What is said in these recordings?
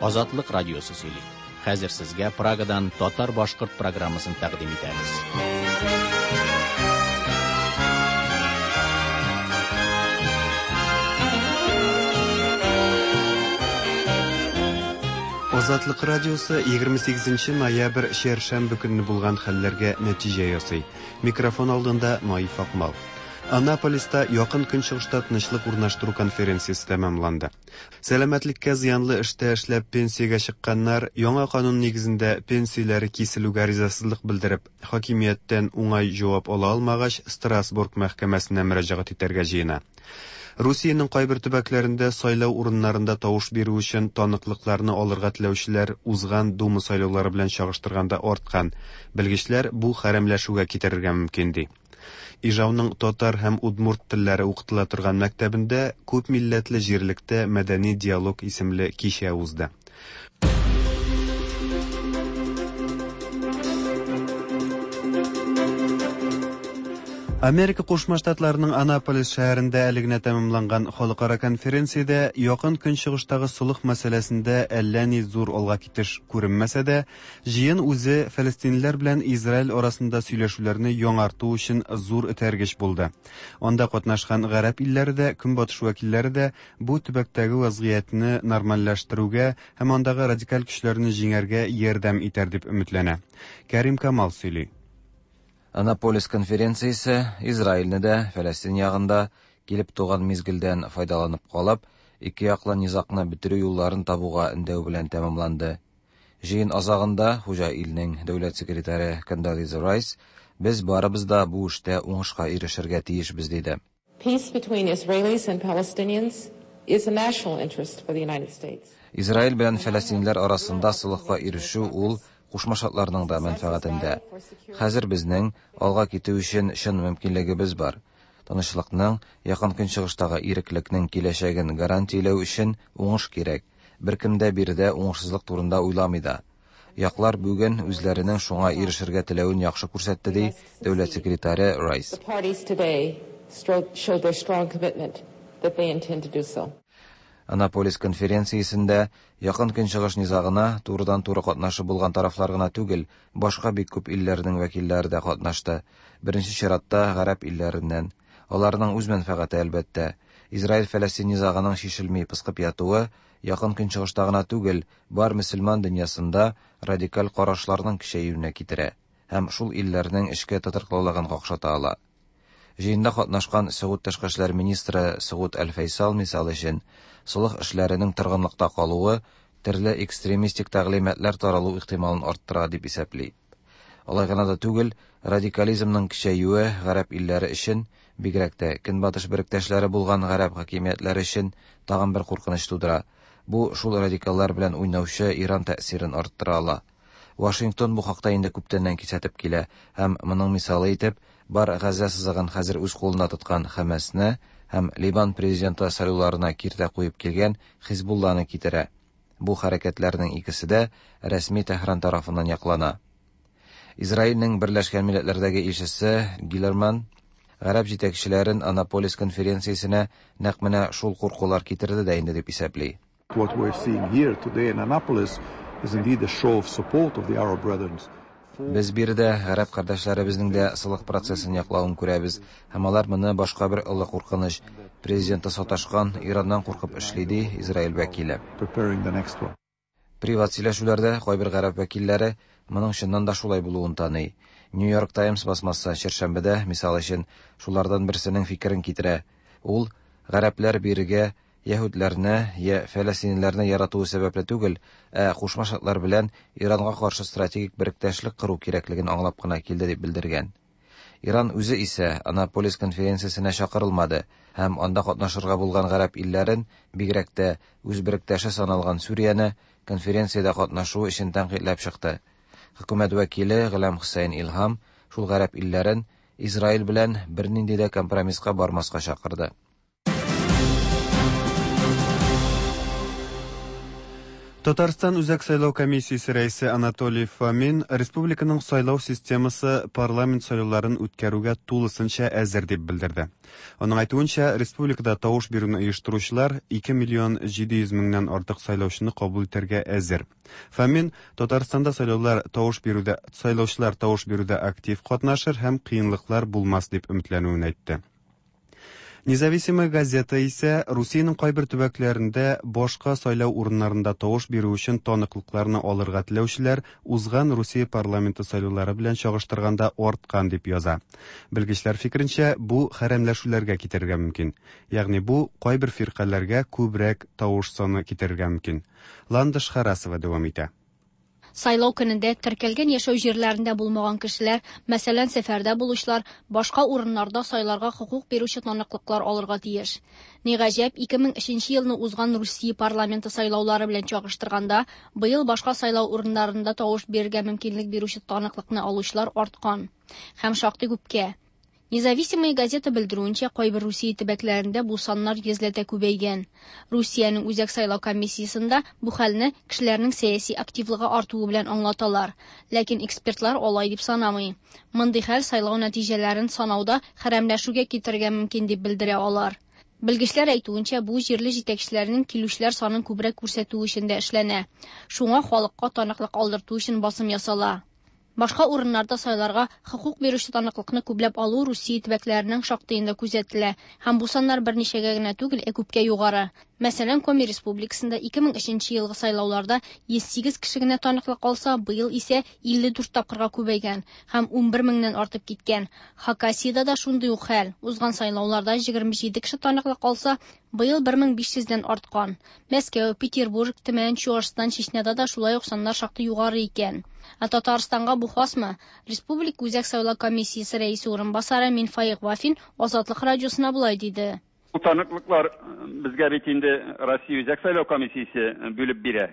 Азатлык радиосы сөйли. Хәзер сезгә Прагадан татар-башкорт программасын тәкъдим итәбез. Азатлык радиосы 28 ноябрь чәршәмбе көнне булган хәлләргә нәтиҗә ясый. Микрофон алдында Наиф Акмал. Анаполиста Якын Көнчыгышта тынычлык урнаштыру конференциясе тәмамланды. Сәламәтлеккә зыянлы эштә эшләп пенсиягә чыкканнар яңа канун нигезендә пенсияләре киселүгә ризасызлык белдереп, хакимияттән уңай җавап ала алмагач, Страсбург мәхкәмәсенә мөрәҗәгать итәргә җыена. Русиянең кайбер төбәкләрендә сайлау урыннарында тавыш бирү өчен таныклыкларны алырга теләүчеләр узган Дума сайлаулары белән чагыштырганда арткан. Белгечләр бу хәрәмләшүгә китерергә мөмкин ди. Ижауның татар һәм удмурт телләре укытыла торган мәктәбендә Күп милләтле җирлектә мәдәни диалог исемле кичә узды. Америка Кушма Штатларының Анаполис шәһәрендә әле генә тәмамланган халыкара конференциядә Якын Көнчыгыштагы солых мәсьәләсендә әллә ни зур алга китеш күренмәсә дә, Җыен үзе фәлестинлеләр белән Израиль арасында сөйләшүләрне яңарту өчен зур этәргеч булды. Анда катнашкан гарәп илләре дә, Көнбатыш вәкилләре дә бу төбәктәге вәзгыятьне нормальләштерүгә һәм андагы радикаль көчләрне җиңәргә ярдәм итәр дип өметләнә. Кәрим Камал сөйли. Анаполис конференциясе Израильне дә, Фәләстин ягын да килеп туган мизгелдән файдаланып калып, ике яклы низагны бетерү юлларын табуга өндәү белән тәмамланды. Җыен азагында хуҗа илнең дәүләт секретаре Кондолиза Райс, Без барыбыз да бу эштә уңышка ирешергә тиешбез, диде. Peace between Israelis and Palestinians is a national interest for the United States. Израиль белән фәләстинлеләр арасында солыхка ирешү ул Кушма Штатларның да мәнфәгатендә. Хәзер безнең алга китү өчен чын мөмкинлегебез бар. Тынычлыкның, Якын Көнчыгыштагы иреклекнең киләчәген гарантияләү өчен уңыш кирәк. Беркем дә биредә уңышсызлык турында уйламый да. Яклар бүген үзләренең шуңа ирешергә теләвен яхшы күрсәтте, ди дәүләт секретаре Райс. Анаполис конференциясендә Якын Көнчыгыш низагына турыдан-туры катнашы булган тарафлар гына түгел, башка бик күп илләрнең вәкилләре дә катнашты. Беренче чиратта, гарәп илләреннән. Аларның үз мәнфәгате, әлбәттә. Израиль-Фәләстин низагының чишелми пыскып ятуы Якын Көнчыгышта гына түгел, бар мөселман дөньясында радикаль карашларның көчәюенә китерә һәм шул илләрнең эчке тотрыклылыгын какшата ала. Җыенда катнашкан Сөгуд тышкы эшләр министры Сөгуд Әл-Фәйсал, мисал өчен, солых эшләренең торгынлыкта калуы төрле экстремистик тәгълиматлар таралу ихтималын арттыра дип исәпли. Алай гына да түгел, радикализмның көчәюе гарәп илләре өчен, бигрәк тә Көнбатыш беректәшләре булган гарәп хакимиятләре өчен тагын бер куркыныч тудыра. Бу шул радикаллар белән уйнаучы Иран тәэсирен арттыра ала. Вашингтон бу хакта инде күптәннән кисәтеп килә һәм моның мисалы итеп бар Газзә сызыгын хәзер үз кулына тоткан Хәмәсне һәм Ливан президенты сайлауларына киртә куеп килгән Хизбулланы китерә. Бу хәрәкәтләрнең икесе дә рәсми Тәһран тарафыннан яклана. Израильнең Берләшкән Милләтләрдәге илчесе Гилерман гарәп җитәкчеләрен Анаполис конференциясенә нәкъ менә шул куркулар китерде дә инде дип исәпли. What we're seeing here today in Annapolis is indeed a show of support of the Arab brethren. Без биредә гарәп кардәшләребезнең дә солых процессын яклавын күрәбез, һәм алар моны башка бер олы куркыныч, президенты саташкан Ираннан куркып эшли, ди Израиль вәкиле. Приват сөйләшүләрдә кайбер гарәп вәкилләре моның чыннан да шулай булуын таный. Нью Йорк Таймс басмасы чәршәмбедә, мисал өчен, шулардан берсенең фикерен китерә. Ул, гарәпләр бирегә яһүдләрне йә фәләстинлеләрне яратуы сәбәпле түгел, ә Кушма Штатлар белән Иранга каршы стратегик беректәшлек кору кирәклеген аңлап кына килде дип белдергән. Иран үзе исә Анаполис конференциясенә чакырылмады һәм анда катнашырга булган гарәп илләрен, бигрәк тә үз беректәше саналган Сүрияне, конференциядә катнашуы өчен тәнкыйтьләп чыкты. Хөкүмәт вәкиле Гөләм Хөсәен Илһам шул гарәп илләрен Израиль белән бернинди дә компромисска бармаска чакырды. Татарстан Үзәк сайлау комиссиясе рәисе Анатолий Фомин республиканың сайлау системасы парламент сайлауларын үткәрүгә тулысынча әзер дип белдерде. Аның әйтүенчә, республикада тавыш бирүне оештыручылар 2 миллион 700 меңнән артык сайлаучыны кабул итәргә әзер. Фомин Татарстанда сайлаулар тавыш бирүдә сайлаучылар тавыш бирүдә актив катнашыр һәм кыенлыклар булмас дип өметләнүен әйтте. Независимая газета исә Русиянең кайбер төбәкләрендә башка сайлау урыннарында тавыш бирү өчен таныклыкларны алырга теләүчеләр узган Русия парламенты сайлаулары белән чагыштырганда арткан дип яза. Белгечләр фикеренчә, бу хәрәмләшүләргә китерергә мөмкин. Ягъни бу кайбер фиркаләргә күбрәк тавыш саны китерергә мөмкин. Ландыш Харасова дәвам итә. Сайлау көнендә теркәлгән яшәү җирләрендә булмаган кешеләр, мәсәлән, сәфәрдә булучылар, башка урыннарда сайларга хокук бирүче таныклыклар алырга тиеш. Ни гаҗәп, 2003 елны узган Русия парламенты сайлаулары белән чагыштырганда, быел башка сайлау урыннарында тавыш бирергә мөмкинлек бирүче таныклыкны алучылар арткан. Һәм шактый күпкә. Независимая газета белдерүенчә, кайбер Русия төбәкләрендә бу саннар йөзләтә күбәйгән. Русиянең Үзәк сайлау комиссиясендә бу хәлне кешеләрнең сәяси активлыгы артуы белән аңлаталар. Ләкин экспертлар алай дип санамый. Мондый хәл сайлау нәтиҗәләрен санауда хәрәмләшүгә китерергә мөмкин дип белдерә алар. Белгечләр әйтүенчә, бу җирле җитәкчеләрнең килүчеләр санын күбрәк күрсәтү өчен дә эшләнә. Шуңа халыкка таныклык алдырту өчен басым ясала. Башка урыннарда сайларга хокук бирүче таныклыкны күпләп алу Русия төбәкләренең шактыенда күзәтелә һәм бу саннар берничәгә генә түгел, ә күпкә югары. Мәсәлән, Коми Республикасында 2003 елгы сайлауларда 108 кеше генә таныклык алса, быел исә 54 тапкырга күбәйгән һәм 11 меңнән артып киткән. Хакасиядә дә шундый ук хәл. Узган сайлауларда 27 кеше таныклык алса, быел 1500дән арткан. Мәскәү, Петербург, Төмән, Чуашстан, Чечняда да шулай ук саннар шактый югары икән. Ә Татарстанга бу хасмы? Республика Үзәк сайлау комиссиясе рәисе урынбасары Минфаик Вафин Азатлык радиосына болай диде. Бу таныклыклар безгә бит инде Россия Үзәк сайлау комиссиясе бүлеп бирә.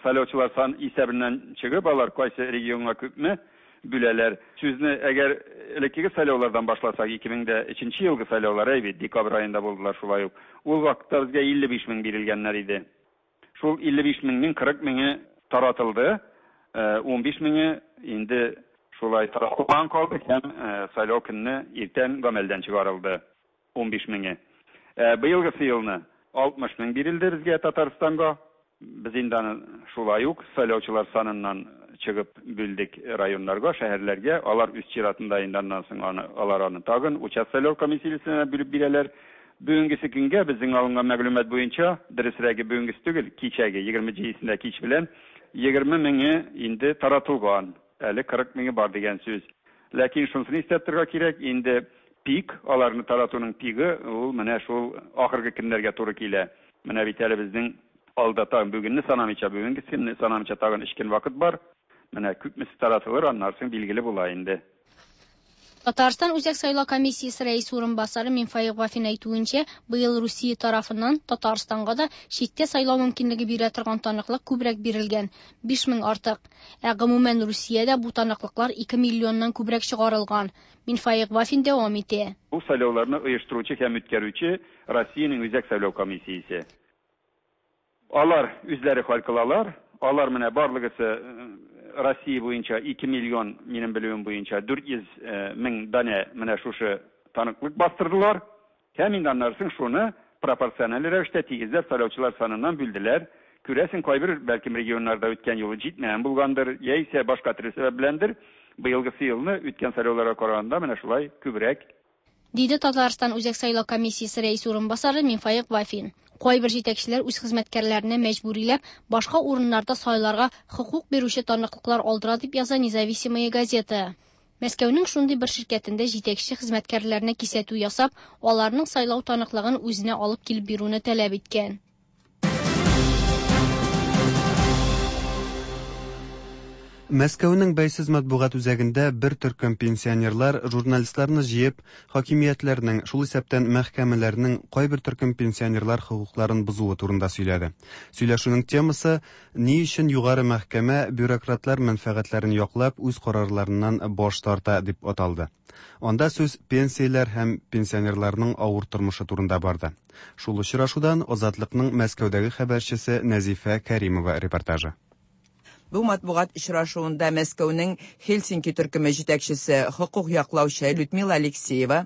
Сайлаучылар сан исәбеннән чыгып, алар кайсы регионга күпме бүләләр. Сүзне әгәр элеккеге сайлаулардан башласак, 2003 елгы сайлаулар, әй бит, декабрь аенда булдылар шулай ук. Ул вакытта безгә 55 мең бирелгәннәр иде. Шул 55 меңнең 40 меңе таратылды, 15 меңе инде шулай таратылган калды һәм сайлау көнне иртән гамәлдән чыгарылды 15 меңе. Быелгысы елны 60 мең бирелде безгә Татарстанга. Без инде аны шулай ук сайлаучылар саныннан чыгып бүлдек районнарга, шәһәрләргә. Алар үз чиратында инде аннан соң аны алар аны тагын участок сайлау комиссиясенә бүлеп бирәләр. Бүгенгесе көнгә безнең алынган мәгълүмат буенча, дөресрәге бүгенгесе түгел, кичәге 27-сендә кич белән 20 меңе инде таратылган. Әле 40 меңе бар дигән сүз. Ләкин шунысын истә тотарга кирәк, инде пик, аларны таратуның пигы ул менә шул ахыргы көннәргә туры килә. Менә бит әле безнең алда тагын бүгенне санамыйча, бүгенге көнне санамыйча тагын 3 көн вакыт бар. Менә күпмесе таратылыр, аннан соң билгеле була инде. Татарстан Үзәк сайлау комиссиясе рәисе урынбасары Минфаик Вафин әйтүенчә, быел Русия тарафыннан Татарстанга да читтә сайлау мөмкинлеге бирә торган таныклык күбрәк бирелгән 5000 артык. Ә гомумән Русиядә бу таныклыклар 2 миллионнан күбрәк чыгарылган. Минфаик Вафин дәвам итә. Бу сайлауларны оештыручы һәм үткәрүче Россиянең Үзәк сайлау комиссиясе. Алар үзләре хәл кылалар. Алар менә барлыгысы Россия буенча 2 миллион, минем белүем буенча 400 мең данә менә шушы таныклык бастырдылар. Һәм инде аннан соң шуны пропорциональ рәвештә тигезләп сайлаучылар саныннан бүлделәр. Күрәсең, кайбер бәлкем регионнарда үткән юлы җитмәгән булгандыр, яисә башка төрле сәбәп беләндер. Быелгысы елны үткән сайлауларга караганда менә шулай күбрәк. Диде Татарстан Үзәк сайлау комиссиясе рәисе урынбасары Минфаик Вафин. Кайбер җитәкчеләр үз хезмәткәрләренә мәҗбүриләп башка урыннарда сайларга хокук бирүче таныклыклар алдыра дип яза Независимая газета. Мәскәүнең шундый бер ширкәтендә җитәкче хезмәткәрләренә кисәтү ясап, аларның сайлау таныклыгын үзенә алып килеп бирүне таләп иткән. Мәскәүнең бәйсез матбугат үзәгендә бер төркем пенсионерлар журналистларны җыеп, хакимиятләрнең, шул исәптән мәхкәмәләрнең кайбер төркем пенсионерлар хокукларын бозуы турында сөйләде. Сөйләшүнең темасы ни өчен югары мәхкәмә бюрократлар мәнфәгатьләрен яклап үз карарларыннан баш тарта дип аталды. Анда сүз пенсияләр һәм пенсионерларның авыр тормышы турында барды. Шул очрашудан Азатлыкның Мәскәүдәге хәбәрчесе Нәзифә Кәримова репортажы. Бу матбугат очрашуында Мәскәүнең Хельсинки төркеме җитәкчесе хокук яклаучы Людмила Алексеева,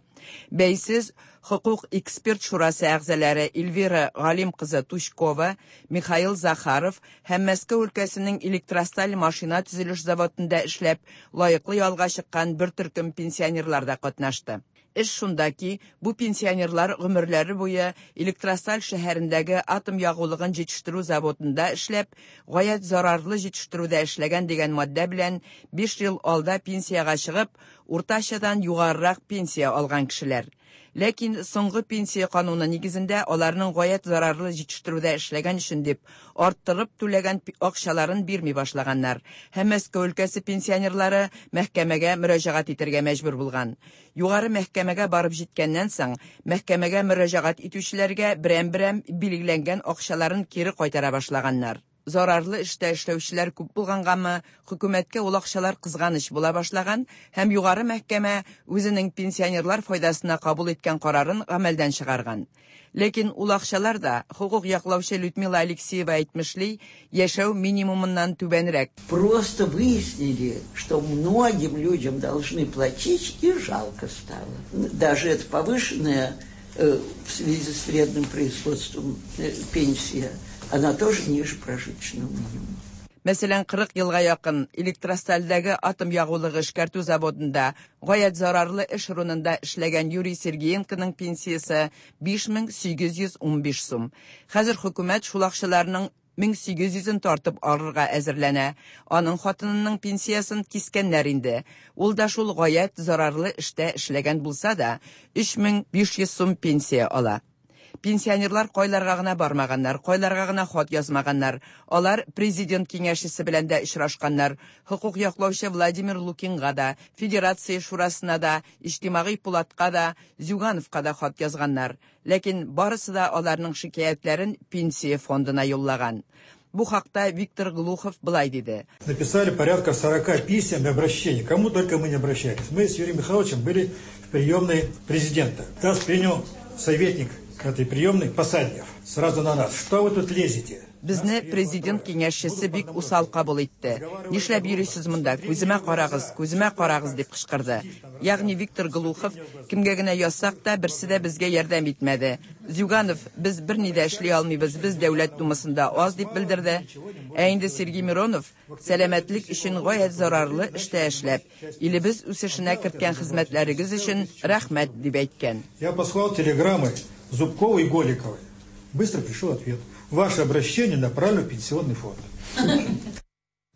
бәйсез хокук эксперт шурасы әгъзалары Эльвира Галим кызы Тучкова, Михаил Захаров һәм Мәскәү өлкәсенең Электросталь машина төзелеш заводында эшләп, лаеклы ялга чыккан бер төркем пенсионерлар да катнашты. Эш шунда ки, бу пенсионерлар гомерләре буе Электросталь шәһәрендәге атом ягулыгын җитештерү заводында эшләп, гаять зарарлы җитештерүдә эшләгән дигән маддә белән 5 ел алда пенсиягә чыгып, уртачадан югарырак пенсия алган кешеләр. Ләкин соңгы пенсия кануны нигезендә аларның гаять зарарлы җитештерүдә эшләгән өчен дип арттырып түләгән акчаларын бирми башлаганнар. Һәм Мәскәү өлкәсе пенсионерлары мәхкәмәгә мөрәҗәгать итәргә мәҗбүр булган. Югары мәхкәмәгә барып җиткәннән соң, мәхкәмәгә мөрәҗәгать итүчеләргә берәм-берәм билгеләнгән акчаларын кире кайтара башлаганнар. Зарарлы эштә эшләүчеләр күп булгангамы, хөкүмәткә ул акчалар кызганыч була башлаган һәм югары мәхкәмә үзенең пенсионерлар файдасына кабул иткән карарын гамәлдән чыгарган. Ләкин ул акчалар да, хокук яклаучы Людмила Алексеева әйтмешли, яшәү минимумыннан түбәнрәк. Просто выяснили, что многим людям должны платить, и жалко стало. Даже это повышенная в связи с вредным производством пенсия, она тоже ниже прожиточного минимума. Мәсәлән, 40 елга якын Электростальдәге атом ягулыгы эшкәртү заводында гаять зарарлы эш урынында эшләгән Юрий Сергеенконың пенсиясе 5815 сум. Хәзер хөкүмәт шул акчаларның 1800-ен тартып алырга әзерләнә. Аның хатынының пенсиясын кискәннәр инде. Ул да шул гаять зарарлы эштә эшләгән булса да, 3500 сум пенсия ала. Пенсионерлар кайларга гына бармаганнар, кайларга гына хат язмаганнар. Алар президент киңәшчесе белән дә очрашканнар. Хокук яклаучы Владимир Лукинга да, Федерация шурасына да, Иҗтимагый пулатка да, Зюгановка да хат язганнар. Ләкин барысы да аларның шикаятьләрен пенсия фондына юллаган. Бу хакта Виктор Глухов былай диде. Написали порядка 40 писем и обращений. Кому только мы не обращались. Мы с Юрием Михайловичем были в приемной президента. Нас принял советник этой приемной Посаднев. Сразу на нас. Что вы тут лезете? Безне президент киңәшчесе бик усал кабул итте. Нишләп йөрисез монда? Күземә карагыз, күземә карагыз дип кычкырды. Ягъни Виктор Глухов кемгә генә язсак та, берсе дә безгә ярдәм итмәде. Зюганов, без берни дә эшли алмыйбыз, без дәүләт думасында аз дип белдерде. Ә инде Сергей Миронов сәламәтлек өчен гаять зарарлы эштә эшләп, илебез үсешенә керткән хезмәтләрегез өчен рәхмәт дип әйткән. Я послал телеграммы Зубковой и Голиковой. Быстро пришел ответ. Ваше обращение направлено в пенсионный фонд.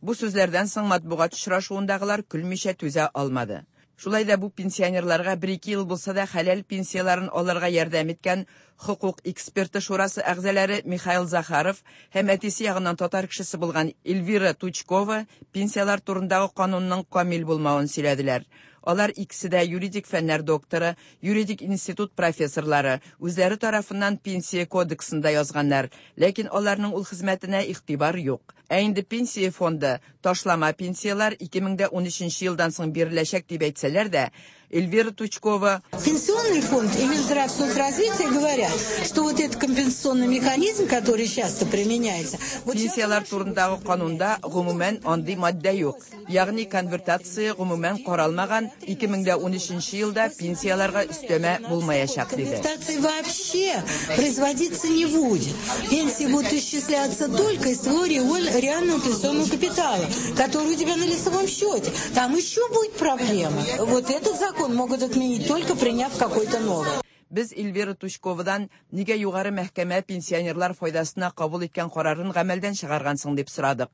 Бу сүзләрдән соң матбугат очрашуындагылар көлмичә түзә алмады. Шулай да бу пенсионерларга 1-2 ел булса да хәләл пенсияләрен алырга ярдәм иткән хокук эксперты шурасы әгъзалары Михаил Захаров һәм әтисе ягыннан татар кешесе булган Эльвира Тучкова пенсияләр турындагы канунның камил булмавын сөйләделәр. Алар икесе дә юридик фәннәр докторы, юридик институт профессорлары, үзләре тарафыннан пенсия кодексында язганнар, ләкин аларның ул хезмәтенә игътибар юк. Ә инде пенсия фонды ташлама пенсияләр 2013 елдан соң биреләчәк дип әйтсәләр дә, Эльвира Тучкова: Пенсионный фонд и Минздрав соцразвития говорят, что вот этот компенсационный механизм, который часто применяется, вот Пенсияләр турындагы канунда гомумән андый маддә юк. Ягъни конвертация гомумән каралмаган, 2013 елда пенсияләргә өстәмә булмаячак диде. Конвертации вообще производиться не будет. Пенсии будут исчисляться только из твоего реального пенсионного капитала, который у тебя на лицевом счете. Там еще будет проблема. Вот этот закон могут отменить, только приняв какой-то новый. Без Эльвира Тучковадан нигә югары мәхкәмә пенсионерлар файдасына кабул иткән карарын гамәлдән чыгаргансың дип сорадык.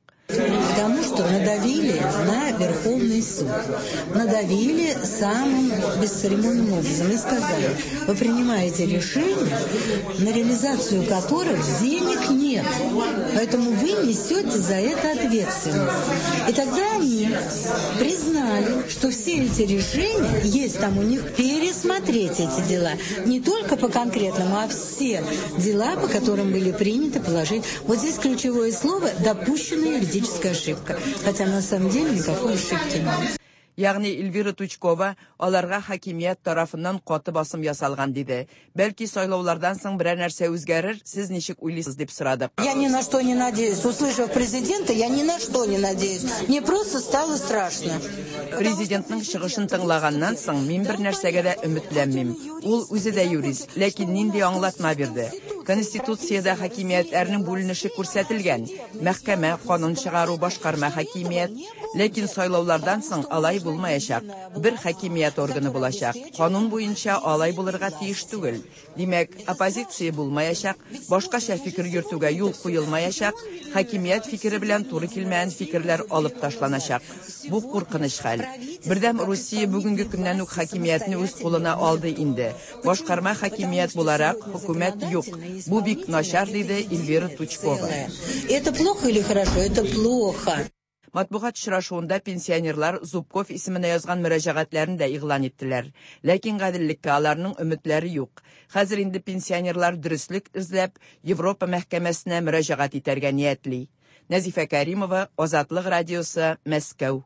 Потому что надавили на Верховный суд. Надавили самым бесцеремонным образом и сказали, вы принимаете решения, на реализацию которых денег нет. Поэтому вы несете за это ответственность. И тогда они признали, что все эти решения, есть там у них пересмотреть эти дела. Не только по конкретному, а все дела, по которым были приняты положения. Вот здесь ключевое слово «допущенная юридическая ошибка». Хотя на самом деле никакой ошибки нет. Ягъни Эльвира Тучкова аларга хакимият тарафыннан каты басым ясалган диде. Бәлки сайлаулардан соң берәр нәрсә үзгәрер, сез ничек уйлыйсыз дип сорадык. Я ни на что не надеюсь. Услышав президента, я ни на что не надеюсь. Мне просто стало страшно. Президентның чыгышын тыңлаганнан соң мин бер нәрсәгә дә өметләнмим. Ул үзе дә юрист, ләкин нинди аңлатма бирде. Конституциядә хакимиятләрнең бүленеше күрсәтелгән. Мәхкәмә, канун чыгару, башкарма хакимият. Ләкин сайлаулардан соң алай булмаячак. Бер хакимият органы булачак. Канун буенча алай булырга тиеш түгел. Димәк, оппозиция булмаячак, башкача фикер йөртүгә юл куелмаячак, хакимият фикере белән туры килмәгән фикерләр алып ташланачак. Бу куркыныч хәл. Бердәм Русия бүгенге көннән үк хакимиятне үз кулына алды инде. Башкарма хакимият буларак хөкүмәт юк. Бу бик начар, диде Эльвира Тучкова. Это плохо или хорошо? Это плохо. Матбугат очрашуында пенсионерлар Зубков исеменә язган мөрәҗәгатьләрен дә игълан иттеләр. Ләкин гаделлеккә аларның өметләре юк. Хәзер инде пенсионерлар дөреслек эзләп Европа мәхкәмәсенә мөрәҗәгать итәргә ниятли. Нәзифә Кәримова, Азатлык радиосы, Мәскәү.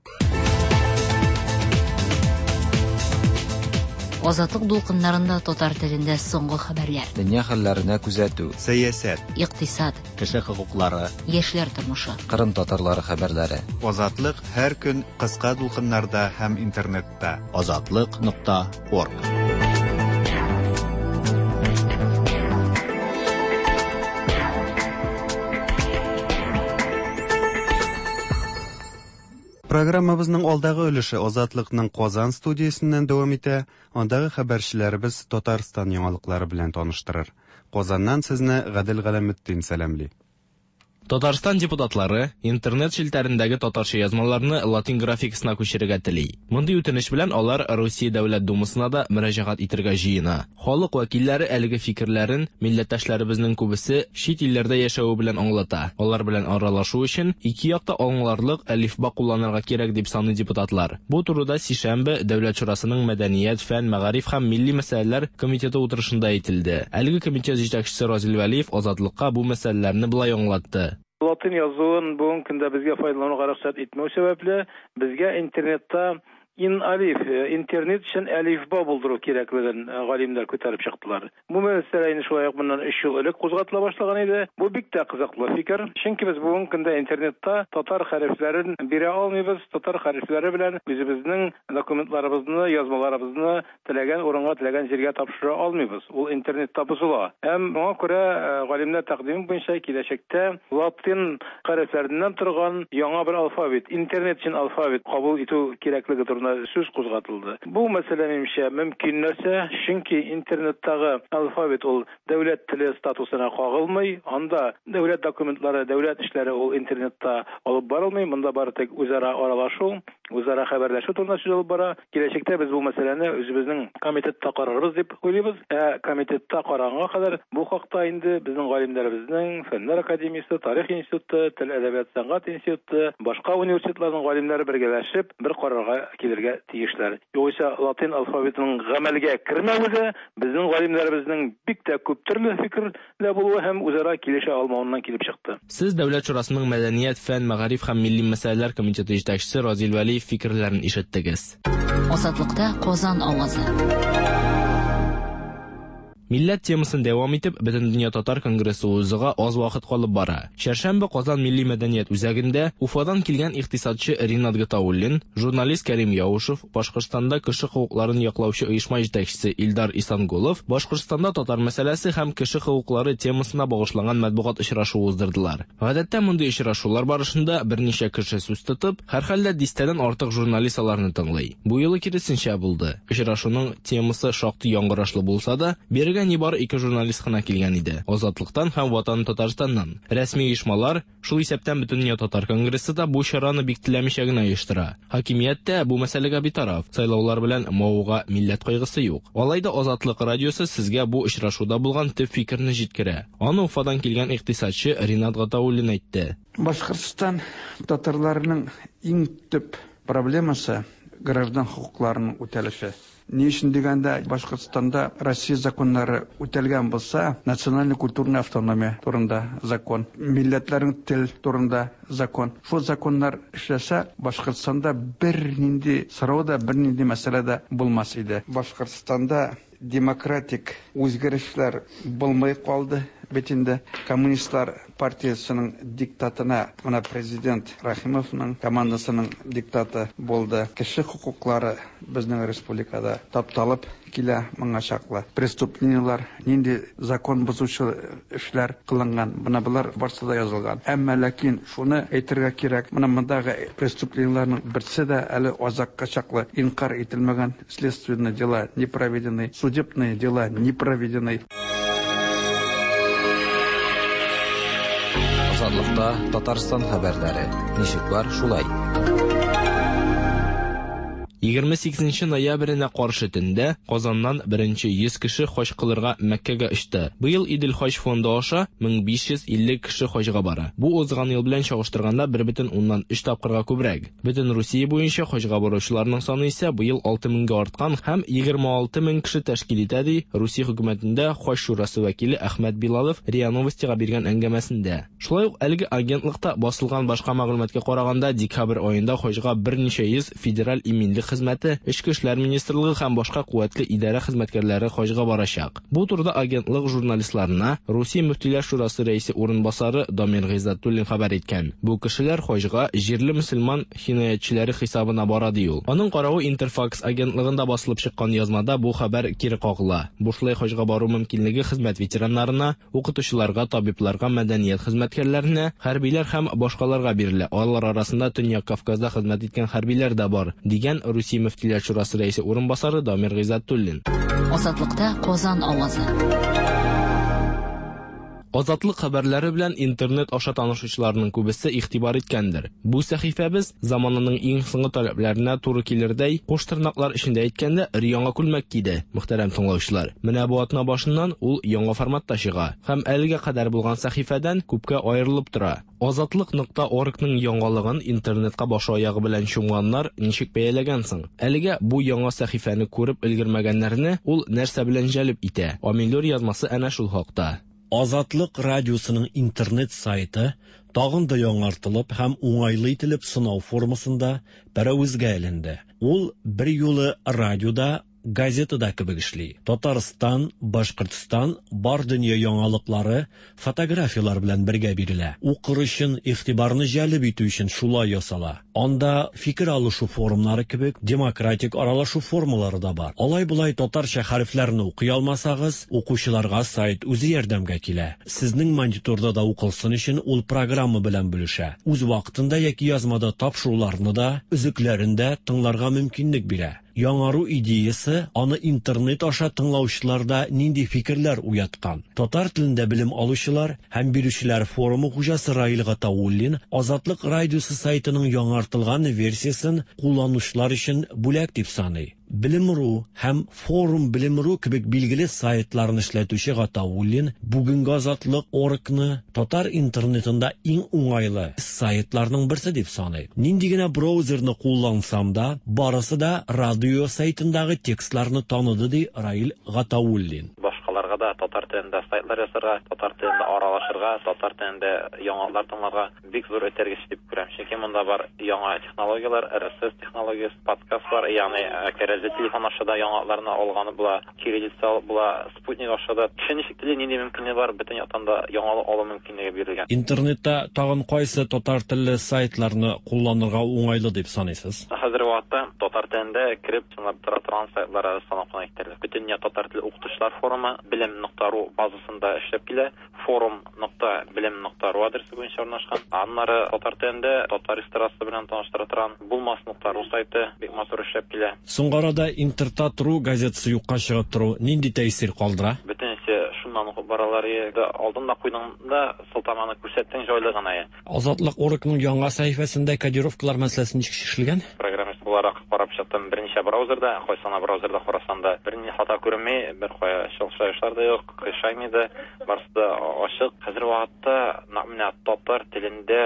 Азатлык дулкыннарында татар телендә соңгы хәбәрләр. Дөнья хәлләренә күзәтү. Сәясәт. Икътисад. Кеше хокуклары. Яшьләр тормышы. Кырым татарлары хәбәрләре. Азатлык һәр көн кыска дулкыннарда һәм интернетта. Азатлык.орг. Программабызның алдагы өлеше Азатлыкның Казан студиясеннән дәвам итә. Андагы хәбәрчеләребез Татарстан яңалыклары белән таныштырыр. Казаннан сезне Гадел Галәметдин сәламли. Татарстан депутатлары интернет челтәрендәге татарча язмаларны латин графикасына күчерергә тели. Мондый үтенеч белән алар Русия Дәүләт Думасына да мөрәҗәгать итәргә җыена. Халык вәкилләре әлеге фикерләрен милләттәшләребезнең күбесе чит илләрдә яшәве белән аңлата. Алар белән аралашу өчен ике якта аңларлык әлифба кулланырга кирәк дип саный депутатлар. Бу турыда сишәмбе Дәүләт Шурасының Мәдәният, фән, мәгариф һәм милли мәсьәләләр комитеты утырышында әйтелде. Әлеге комитет җитәкчесе Разил Вәлиев Азатлыкка бу мәсьәләләрне болай аңлатты. Латин язуын бүгенге көндә безгә файдалануга рөхсәт итмәү сәбәпле, безгә интернетта ин-алиф, интернет өчен әлифба булдыру кирәклеген галимнәр күтәреп чыктылар. Бу мәсьәлә инде шулай ук моннан 3 ел элек кузгатыла башлаган иде. Бу бик тә кызыклы фикер. Чөнки без бүгенге көндә интернетта татар хәрефләрен бирә алмыйбыз. Татар хәрефләре белән үзебезнең документларыбызны, язмаларыбызны теләгән урынга, теләгән җиргә тапшыра алмыйбыз. Ул интернетта бозыла. Һәм моңа күрә галимнәр тәкъдиме буенча киләчәктә латин хәрефләреннән торган яңа бер алфавит, интернет өчен алфавит кабул итү кирәклеге турында сүз кузгатылды. Бу мәсьәлә минемчә мөмкин нәрсә, чөнки интернеттагы алфавит ул дәүләт теле статусына кагылмый, анда дәүләт документлары, дәүләт эшләре ул интернетта алып барылмый, монда бары тик үзара аралашу, үзара хәбәрләшү турында сүз алып бара. Киләчәктә без бу мәсьәләне үзебезнең комитетта карарбыз дип уйлыйбыз. Ә комитетта караганга кадәр бу хакта инде безнең галимнәребезнең Фәннәр академиясе, Тарих институты, Тел, әдәбият, сәнгать институты, башка университетларның галимнәре бергәләшеп бер карарга килергә тиешләр. Югыйсә латин алфавитының гамәлгә кермәве дә безнең галимнәребезнең бик тә күп төрле фикердә булуы һәм үзара килешә алмавыннан килеп чыкты. Сез Дәүләт Шурасының Мәдәният, фән, мәгариф һәм милли мәсьәләләр комитеты җитәкчесе Разил Вәлиев фикерләрен ишеттегез. Азатлыкта Казан авазы. Милләт темасын дәвам итеп, Бөтендөнья татар конгрессы узуга аз вакыт калып бара. Чәршәмбе Казан милли мәдәният үзәгендә Уфадан килгән икътисадчы Ринат Гатауллин, журналист Кәрим Яушев, Башкортстанда кеше хокукларын яклаучы оешма җитәкчесе Илдар Исангулов Башкортстанда татар мәсьәләсе һәм кеше хокуклары темасына багышланган матбугат очрашуы уздырдылар. Гадәттә мондый очрашулар барышында берничә кеше сүз тотып, һәрхәлдә дистәдән артык журналист аларны тыңлый. Бу юлы киресенчә булды. Очрашуның темасы шактый яңгырашлы булса да, бирегә Бирегә нибары ике журналист кына килгән иде. Азатлыктан һәм Ватан Татарстаннан. Рәсми оешмалар, шул исәптән Бөтендөнья татар конгрессы да бу чараны бик теләмичә генә оештыра. Хакимият тә бу мәсьәләгә битараф, сайлаулар белән мавыга милләт кайгысы юк. Алай да Азатлык радиосы сезгә бу очрашуда булган төп фикерне җиткерә. Аны Уфадан килгән икътисадчы Ринат Гатауллин әйтте. Башкортстан татарларының иң төп проблемасы, граждан хокукларының үтәлеше. Ни өчен дигәндә, Башкортстанда Россия законнары үтәлгән булса, национальный культурный автономия турында закон, милләтләрнең тел турында закон. Шул законнар эшләсә, Башкортстанда бернинди сорау да, бернинди мәсьәлә дә булмас иде. Башкортстанда демократик үзгәрешләр булмый калды бит инде. Коммунистлар партиясенең диктатына менә президент Рәхимовның командасының диктаты булды. Кеше хокуклары безнең республикада тапталып килә моңа чаклы. Преступлениелар, нинди закон бозучы эшләр кылынган, менә болар барсы да язылган. Әмма ләкин шуны әйтергә кирәк, менә мондагы преступлениеларның берсе дә әле азакка чаклы инкарь ителмәгән, следственные дела не проведены, судебные дела не проведены. Азатлыкта Татарстан хәбәрләре. Ничек бар, шулай. 28 ноябренә каршы төндә Казаннан беренче 100 кеше хаҗ кылырга Мәккәгә очты. Быел Идел хаҗ фонды аша 1550 кеше хаҗга бара. Бу узган ел белән чагыштырганда 1,3 тапкырга күбрәк. Бөтен Русия буенча хаҗга баручыларның саны исә быел 6 меңгә арткан һәм 26 мең кеше тәшкил итә, ди Русия хөкүмәтендә хаҗ шурасы вәкиле Әхмәт Билалов РИА Новостига биргән әңгәмәсендә. Шулай ук әлеге агентлыкта басылган башка мәгълүматка караганда, декабрь аенда хаҗга берничә йөз федераль иминлек хезмәте, Эчке эшләр министрлыгы һәм башка куәтле идарә хезмәткәрләре хаҗга барачак. Бу турыда агентлык журналистларына Русия мөфтиләр шурасы рәисе урынбасары Дамир Гыйззәтуллин хәбәр иткән. Бу кешеләр хаҗга җирле мөселман хинаятьчеләре хисабына бара, ди ул. Аның каравы Интерфакс агентлыгында басылып чыккан язмада бу хәбәр кире кагыла. Бушлай хаҗга бару мөмкинлеге хезмәт ветераннарына, укытучыларга, табибларга, мәдәният хезмәткәрләренә, хәрбиләр һәм башкаларга бирелә. Алар арасында Төньяк Кавказда хезмәт иткән хәрбиләр дә бар, дигән Русия мөфтиләр шурасы рәисе урынбасары Дамир Гыйззәтуллин. Азатлыкта Казан авазы. Азатлык хәбәрләре белән интернет аша танышучыларның күбесе игътибар иткәндер. Бу сәхифәбез замананың иң соңгы таләпләренә туры килердәй, куш тырнаклар эчендә әйткәндә, өр-яңа күлмәк киде, мөхтәрәм тыңлаучылар. Менә бу атна башыннан ул яңа форматта чыга һәм әлегә кадәр булган сәхифәдән күпкә аерылып тора. Азатлык нокта оргның яңалыгын интернетка башы-аягы белән чумганнар ничек бәяләгән соң? Әлегә бу яңа сәхифәне күреп өлгермәгәннәрне ул нәрсә белән җәлеп итә? Амилюр язмасы әнә шул хакта. Азатлык радиосының интернет сайты тагын да яңартылып һәм уңайлы ителеп сынау формасында пәрәвезгә эленде. Ул берьюлы радиода, газетада кебек эшли. Татарстан, Башкортстан, бар дөнья яңалыклары фотографияләр белән бергә бирелә. Укыр өчен, игътибарны җәлеп итү өчен шулай ясала. Анда фикер алышу форумнары кебек демократик аралашу формалары да бар. Алай-болай татарча хәрефләрне укый алмасагыз, укучыларга сайт үзе ярдәмгә килә. Сезнең мониторда да укылсын өчен ул программа белән бүлешә. Үз вакытында яки язмада тапшыруларны да, өзекләрен дә тыңларга мөмкинлек бирә. Яңару идеясе аны интернет аша тыңлаучыларда нинди фикерләр уяткан? Татар телендә белем алучылар һәм бирүчеләр форумы хуҗасы Раил Гатауллин Азатлык радиосы сайтының яңартылган версиясен кулланучылар өчен бүләк дип саный. Белем.ру һәм Форум Белем.ру кебек билгеле сайтларны эшләтүче Гатауллин бүгенге Азатлык оргны татар интернетында иң уңайлы сайтларның берсе дип саный. Нинди генә браузерны куллансам да, барысы да радио сайтындагы текстларны таныды, ди Раил Гатауллин. Башкаларга да татар телендә сайтлар ясарга, татар телендә аралашырга, татар телендә яңалыклар тыңларга бик зур этәргеч дип күрәм. Чөнки монда бар яңа технологияләр, RSS технологиясе, подкастлар, ягъни кәрәзле телефон аша да яңалыкларны алганы була, кириллица алып була, спутник аша да. Кеше ничек тели, нинди мөмкинлеге бар, бөтен яктан да яңалык алу мөмкинлеге бирелгән. Интернетта тагын кайсы татар телле сайтларны кулланырга уңайлы дип саныйсыз? Хәзерге вакытта татар телендә кереп тыңлап тора торган сайтлар әле санап кына китәрлек. Бөтендөнья татар теле укытучылар форумы, Белем. Белем нокта ру базасында эшләп килә. Форум нокта белем нокта ру адресы буенча урнашкан. Аннары татар телендә татар эстрадасы белән таныштыра торган Булмас нокта ру сайты бик матур эшләп килә. Соңгы арада Интертат ру газетасы юкка чыгып тору нинди тәэсир калдыра? Бөтенесе шуннан укып баралар. Алдың да куйдың да, сылтаманы күрсәттең, җайлы гына. Азатлык оргның яңа сәхифәсендә кодировкалар мәсьәләсе ничек чишелгән? Программист буларак карап чыктым берничә браузерда, кайсы гына браузерда карасам да, бернинди хата күренми, бер кая чыгышлар да юк, кыйшаймый да, барысы да ачык. Хәзерге вакытта нәкъ менә татар телендә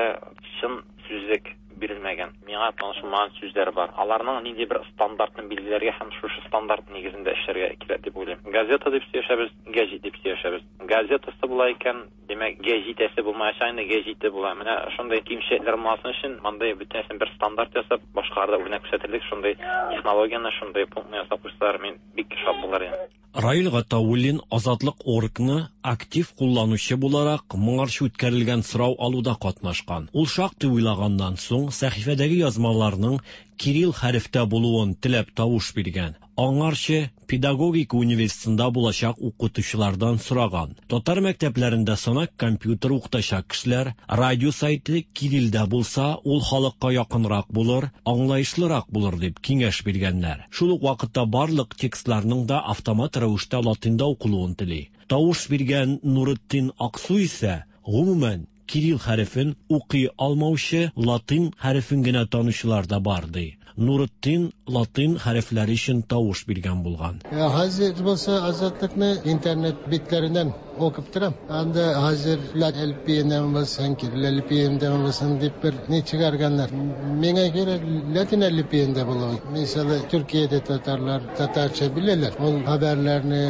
чын сүзлек бирелмәгән. Миңа таныш булмаган сүзләр бар. Аларның нинди бер стандартын билгеләргә һәм шушы стандарт нигезендә эшләргә кирәк дип уйлыйм. Газета дип сөйләшәбез, гәҗит дип сөйләшәбез. Газетасы була икән, димәк, гәҗитәсе булмаячак инде, гәҗите була. Менә шундый кимчелекләр булмасын өчен, мондый бөтенесен бер стандарт ясап, башкаларда үрнәк күрсәтерлек шундый технологияне, шундый пунктны ясап куйсалар, мин бик шат булыр идем. Раил Гатауллин Азатлык оргны актив кулланучы буларак моңарчы үткәрелгән сорау алуда катнашкан. Ул шактый уйлаганнан соң сәхифәдәге язмаларның кирилл хәрефтә булуын теләп тавыш биргән. Аңарчы педагогика университетында булачак укытучылардан сораган. Татар мәктәпләрендә санак компьютер укытачак кешеләр, радио сайты кириллдә булса, ул халыкка якынрак булыр, аңлаешлырак булыр дип киңәш биргәннәр. Шул ук вакытта барлык текстларның да автомат рәвештә латинда укылуын тели. Тавыш биргән Нуретдин Аксу исә, гомумән, кирилл хәрефен укый алмаучы, латин хәрефен генә танучылар да бар ди. Нуретдин латин хәрефләре өчен тавыш биргән булган. Хәзер булса Азатлыкны интернет битләреннән укып торам. Анда хәзер әлифбиеннән булсын, кирилл әлифбиеннән булсын дип бер ни чыгарганнар. Миңа кирәк латин әлифбиендә булуы. Мисалы, Төркиядә татарлар татарча беләләр. Ул хәбәрләрне,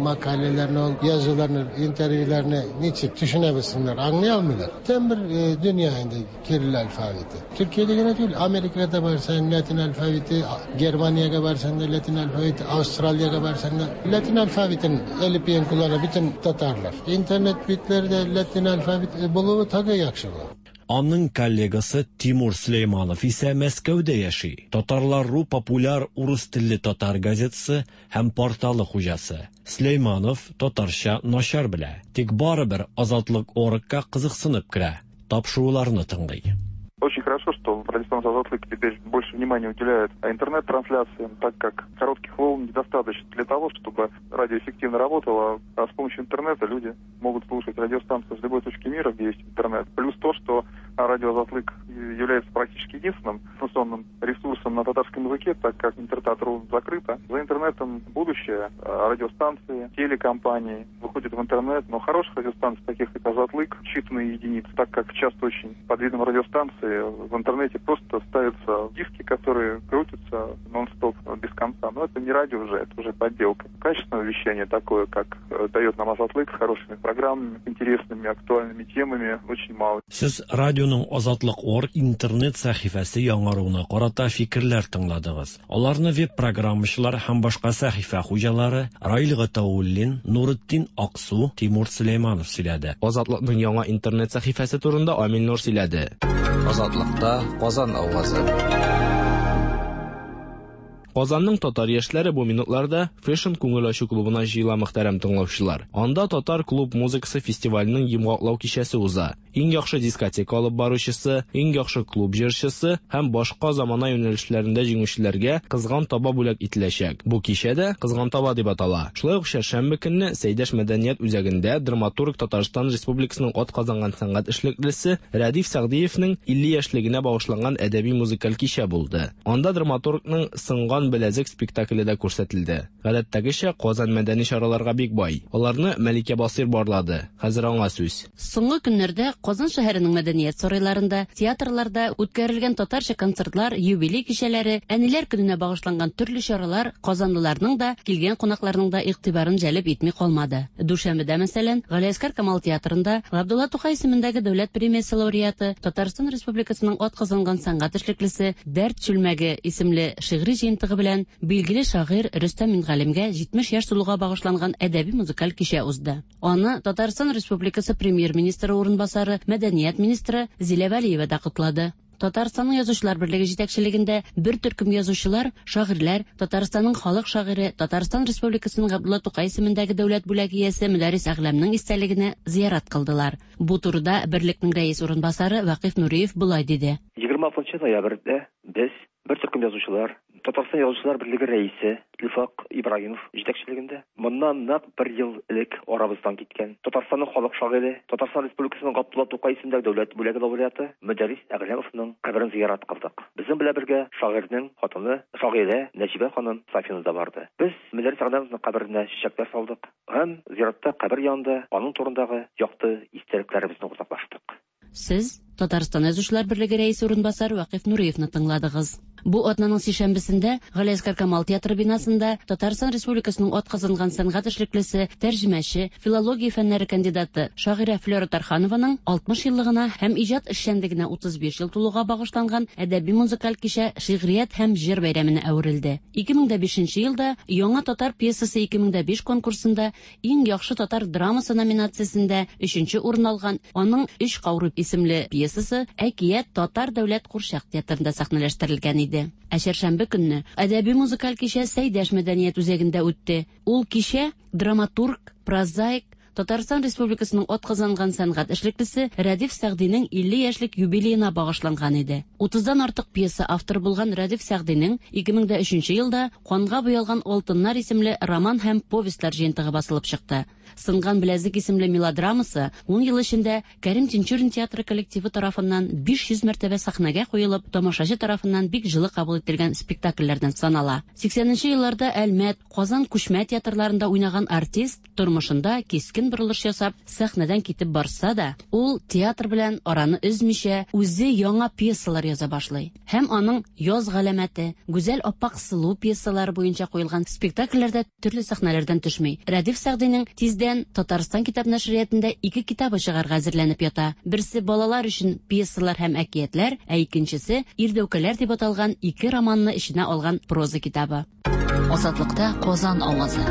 мәкаләләрне, ул язуларны, интервьюларны ничек төшенә белсеннәр, аңлый алмыйлар. Там бер дөнья инде кирилл алфавиты. Төркиядә генә түгел, Америкада барсаң латин алфавиты, Германиягә барсаң да латин алфавиты, Австралиягә барсаң да латин алфавитын әлифбиен куллана бөтен татарлар. Интернет битләрдә латин алфавит булуы тагы яхшы була. Аның коллегасы Тимур Сөләйманов исә Мәскәүдә яши. Татарлар ру популяр урыс телле татар газетасы һәм порталы хуҗасы. Сөләйманов татарча начар белә, тик барыбер Азатлык оргка кызыксынып керә, тапшыруларны тыңлый. Очень хорошо, что радиостанция «Азатлык» теперь больше внимания уделяет интернет-трансляциям, так как коротких волн недостаточно для того, чтобы радио эффективно работало. А с помощью интернета люди могут слушать радиостанцию с любой точки мира, где есть интернет. Плюс то, что радио «Азатлык» является практически единственным информационным ресурсом на татарском языке, так как Интертат.ру закрыто. За интернетом будущее. Радиостанции, телекомпании выходят в интернет, но хороших радиостанций, таких как «Азатлык», считанные единицы, так как часто очень под видом радиостанции в интернете просто ставятся диски, которые крутятся нон-стоп без конца. Но это не радио уже, это уже подделка. Качественное вещание такое, как дает нам Азатлык, с хорошими программами, интересными, актуальными темами, очень мало. Сез радионың Азатлык орг интернет сәхифәсе яңаруына карата фикерләр тыңладыгыз. Аларны веб-программачылар һәм башка сәхифә хуҗалары Раил Гатауллин, Нуретдин Аксу, Тимур Сөләйманов сөйләде. Азатлыкның яңа интернет сәхифәсе турында Амил Нур сөйләде. Азатлыкта Казан авазы. Казанның татар яшьләре бу минутларда Fashion күңел ачу клубына җыела, мөхтәрәм тыңлаучылар. Анда татар клуб музыкасы фестиваленең йомгаклау кичәсе уза. Иң яхшы дискотека алып баручысы, иң яхшы клуб җырчысы һәм башка замана юнәлешләрендә җиңүчеләргә кызган таба бүләк ителәчәк. Бу кичә дә Кызган таба дип атала. Шулай ук чәршәмбе көнне Сәйдәш мәдәният үзәгендә драматург Татарстан Республикасының атказанган сәнгать эшлеклесе Рәдиф Сәгъдиевнең 50 яшьлегенә багышланган әдәби музыкаль кичә булды. Анда драматургның Сынган беләзек спектакле дә күрсәтелде. Гадәттәгечә, Казан мәдәни чараларга бик бай. Аларны Мәликә Басыйр барлады. Хәзер аңа сүз. Соңгы көннәрдә Казан шәһәренең мәдәният сарайларында, театрларда үткәрелгән татарча концертлар, юбилей кичәләре, әниләр көненә багышланган төрле чаралар казанлыларның да, килгән кунакларның да игътибарын җәлеп итми калмады. Дүшәмбедә, мәсәлән, Галиәсгар Камал театрында Габдулла Тукай исемендәге дәүләт премиясе лауреаты, Татарстан Республикасының атказанган сәнгать эшлеклесе Дәрт чүлмәге исемле шигъри җыентыгы белән билгеле шагыйрь Рөстәм Мингалимгә 70 яшь тулуга багышланган әдәби-музыкаль кичә узды. Аны Татарстан Республикасы премьер-министры урынбасары, мәдәният министры Зилә Вәлиева да котлады. Татарстанның Язучылар берлеге җитәкчелегендә бер төркем язучылар, шагыйрьләр, Татарстанның халык шагыйре, Татарстан Республикасының Габдулла Тукай исемендәге дәүләт бүләге иясе Мөдәррис Әгъләмнең истәлегенә зиярат кылдылар. Бу турыда берлекнең рәис урынбасары Вакыйф Нуриев болай диде. 26 ноябрьдә без, бер төркем язучылар, Татарстан Язучылар берлеге рәисе Илфак Ибраһимов җитәкчелегендә, моннан нәкъ бер ел элек арабыздан киткән Татарстанның халык шагыйре, Татарстан Республикасының Габдулла Тукай исемендәге дәүләт бүләге лауреаты Мөдәррис Әгъләмовның каберен зиярат кылдык. Безнең белән бергә шагыйрьнең хатыны, шагыйрә Нәҗибә ханым Сафина да барды. Без Мөдәррис Әгъләмовның каберенә чәчәкләр салдык һәм зиратта кабер янында аның турындагы якты истәлекләребезне уртаклаштык. Сез Татарстан Язучылар берлеге рәисе урынбасары Вакыйф Нуриевны тыңладыгыз. Бу атнаның сишәмбесендә Галиәсгар Камал театры бинасында Татарстан Республикасының атказанган сәнгать эшлеклесе, тәрҗемәче, филология фәннәре кандидаты, шагыйрә Флера Тарханованың 60 еллыгына һәм иҗат эшчәнлегенә 35 ел тулуга багышланган әдәби-музыкаль кичә шигърият һәм җыр бәйрәменә әверелде. 2005 елда Яңа татар пьесасы 2005 конкурсында Иң яхшы татар драмасы номинациясендә өченче урын алган аның Өч каурый исемле пьесасы Әкият татар дәүләт курчак театрында сәхнәләштерелгән иде. Ә чәршәмбе көнне әдәби-музыкаль кичә Сәйдәш мәдәният үзәгендә үтте. Ул кичә драматург, прозаик, Татарстан Республикасының атказанган сәнгать эшлеклесе Рәдиф Сәгъдинең 50 яшьлек юбилеена багышланган иде. Утыздан артык пьеса авторы булган Рәдиф Сәгъдинең 2003 елда Канга буялган алтыннар исемле роман һәм повестьлар җыентыгы басылып чыкты. Сынган беләзек исемле мелодрамасы ун ел эчендә Кәрим Тинчурин театры коллективы тарафыннан 500 мәртәбә сәхнәгә куелып, тамашачы тарафыннан бик җылы кабул ителгән спектакльләрдән санала. 80 нче елларда Әлмәт, Казан күчмә театрларында уйнаган артист тормышында кискен борылыш ясап, сәхнәдән китеп барса да, ул театр белән араны өзмичә, үзе яңа пьесалар яза башлый. Һәм аның Яз галәмәте, Гүзәл Аппак сылу пьесалары буенча куелган спектакльләр дә төрле сәхнәләрдән төшми. Рәдиф Сәгъдинең тиздән Татарстан китап нәшриятында ике китабы чыгарга әзерләнеп ята. Берсе балалар өчен пьесалар һәм әкиятләр, ә икенчесе Ирдәүкәләр дип аталган ике романны эченә алган проза китабы. Азатлыкта Казан авазы.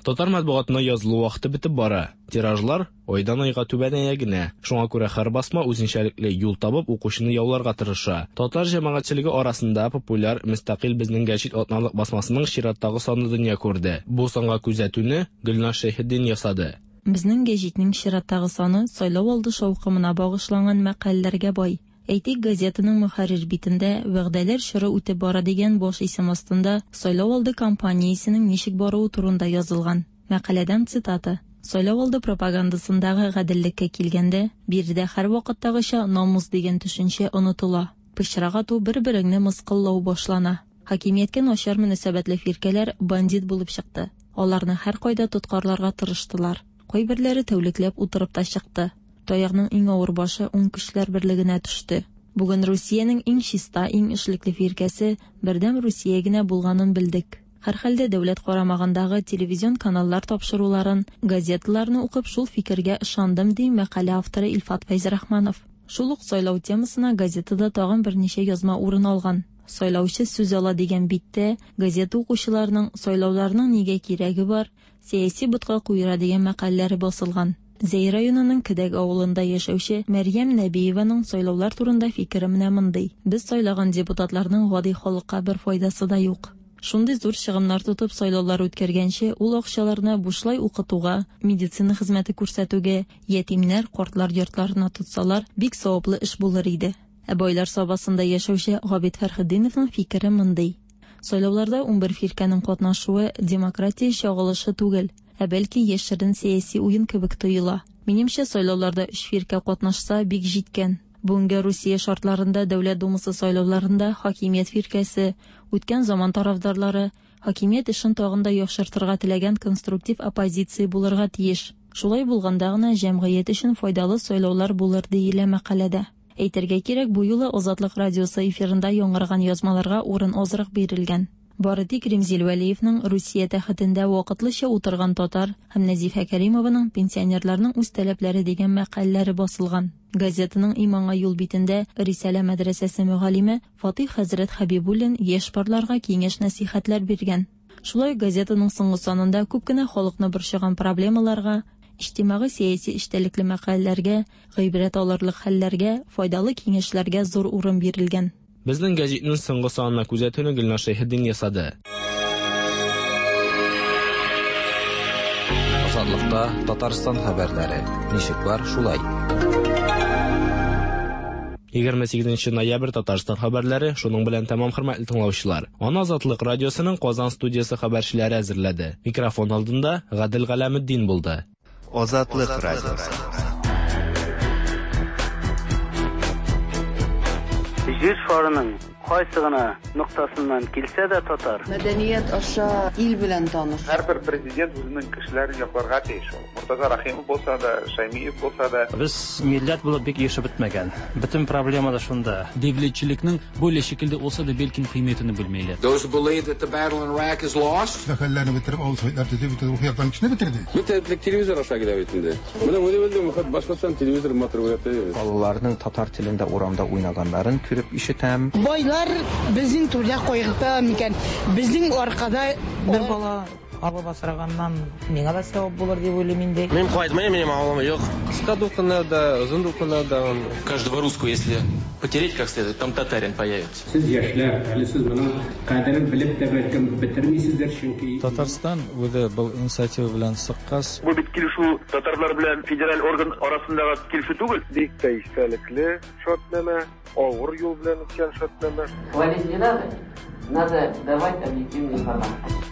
Татар матбугатына язылу вакыты бетеп бара. Тиражлар айдан-айга түбәнәя генә. Шуңа күрә һәр басма үзенчәлекле юл табып укучыны яуларга тырыша. Татар җәмәгатьчелеге арасында популяр Мөстәкыйль безнең гәҗит атналык басмасының чираттагы саны дөнья күрде. Бу санга күзәтүне Гөлназ Шәйхетдин ясады. Безнең гәҗитнең чираттагы саны сайлау алды шаукымына багышланган мәкаләләргә бай. Әйтик, газетаның мөхәррир битендә Вәгъдәләр чоры үтеп бара дигән баш исем астында сайлау алды кампаниясенең ничек баруы турында язылган. Мәкаләдән цитата, Сайлау алды пропагандасындагы гаделлеккә килгәндә, биредә һәрвакыттагыча намус дигән төшенчә онытыла. Пычрак ату, бер-береңне мыскыллау башлана. Хакимияткә начар мөнәсәбәтле фиркәләр бандит булып чыкты. Аларны һәркайда тоткарларга тырыштылар. Кайберләре тәүлекләп утырып та чыкты. Таягның иң авыр башы уң көчләр берлегенә төште. Бүген Русиянең иң чиста, иң эшлекле фиркәсе Бердәм Русия генә булганын белдек. Һәрхәлдә дәүләт карамагындагы телевизион каналлар тапшыруларын, газеталарны укып шул фикергә ышандым, ди мәкалә авторы Илфат Фәйзрахманов. Шул ук сайлау темасына газетада тагын берничә язма урын алган. Сайлаучы сүз ала дигән биттә газета укучыларының сайлауларның нигә кирәге бар, Сәяси ботка куера дигән мәкаләләре басылган. Зәй районының Кедәг авылында яшәүче Мәрьям Нәбиеваның сайлаулар турында фикере менә мондый, Без сайлаган депутатларның гади халыкка бер файдасы да юк. Шундый зур чыгымнар тотып сайлаулар үткәргәнче, ул акчаларны бушлай укытуга, медицина хезмәте күрсәтүгә, ятимнәр, картлар йортларына тотсалар, бик саваплы эш булыр иде. Ә Байлар Сабасында яшәүче Габит Фәрхетдиновның фикере мондый, Сайлауларда 11 фиркәнең катнашуы демократия чагылышы түгел, ә бәлки яшерен сәяси уен кебек тоела. Минемчә, сайлауларда өч фиркә катнашса, бик җиткән. Бүгенге Русия шартларында Дәүләт Думасы сайлауларында хакимият фиркәсе, үткән заман тарафдарлары, хакимият эшен тагын да яхшыртырга теләгән конструктив оппозиция булырга тиеш. Шулай булганда гына җәмгыять өчен файдалы сайлаулар булыр, диелә мәкаләдә. Әйтергә кирәк, бу юлы Азатлык радиосы эфирында яңгыраган язмаларга урын азрак бирелгән. Бары тик Римзил Вәлиевның Русия тәхетендә вакытлыча утырган татар һәм Нәзифә Кәримованың Пенсионерларның үз таләпләре дигән мәкаләләре басылган. Газетаның Иманга юл битендә Рисалә мәдрәсәсе мөгаллиме Фатыйх хәзрәт Хәбибуллин яшь парларга киңәш-нәсыйхәтләр биргән. Шулай ук газетаның соңгы санында күп кенә халыкны борчыган проблемаларга, Иҗтимагый-сәяси эчтәлекле мәкаләләргә, гыйбрәт алырлык хәлләргә, файдалы киңәшләргә зур урын бирелгән. Безнең гәҗитнең соңгы санына күзәтүне Гөлнар Шәйхетдин ясады. Азатлыкта Татарстан хәбәрләре. Ничек бар, шулай. 28 ноябрь Татарстан хәбәрләре шуның белән тәмам, хөрмәтле тыңлаучылар. Аны Азатлык радиосының Казан студиясе хәбәрчеләре әзерләде. Микрофон алдында Гадел Галәметдин булды. Азатлык радиосы. Җир шарының кайсы гына ноктасыннан килсә дә татар. Мәдәният аша ил белән таныш. Һәрбер президент үзенең кешеләрен якларга тиеш ул. Мортаза Рәхимов булса да, Шәймиев булса да. Без милләт булып бик ирешеп бетмәгән. Бөтен проблема да шунда. Devletchilikning böyle şekilde olsa da belkim qiymetini bilmeyler. Those who believe that the battle in Iraq is lost. Хәлләрне бетереп, авыл советлар төзеп, бөтен рухи яктан кешене бетерде. Бөтен телевизор аша килә бит инде. Менә үзе белдем, Башкортстан телевизор матур күрә. Балаларның татар телендә урамда уйнаганнарын күреп ишетәм. Байлар безнең түрдә кайгырта микән? Безнең аркада бер бала алып асраганнан миңа да савап булыр дип уйлыйм инде. Мин кайтмыйм, минем авылым юк. Кыска дулкыннарда, озын дулкыннарда. Каждого русского, если потереть как следует, там татарин появится. Сез яшьләр, әле сез моның кадерен белеп тә бәлкем бетермисездер, чөнки Татарстан үзе был инициатива белән чыккач, Бу бит килешү татарлар белән федераль орган арасындагы килешү түгел. Бик тә истәлекле шартнамә, авыр юл белән үткән шартнамә. Хвалить не надо, надо давать объективную информацию.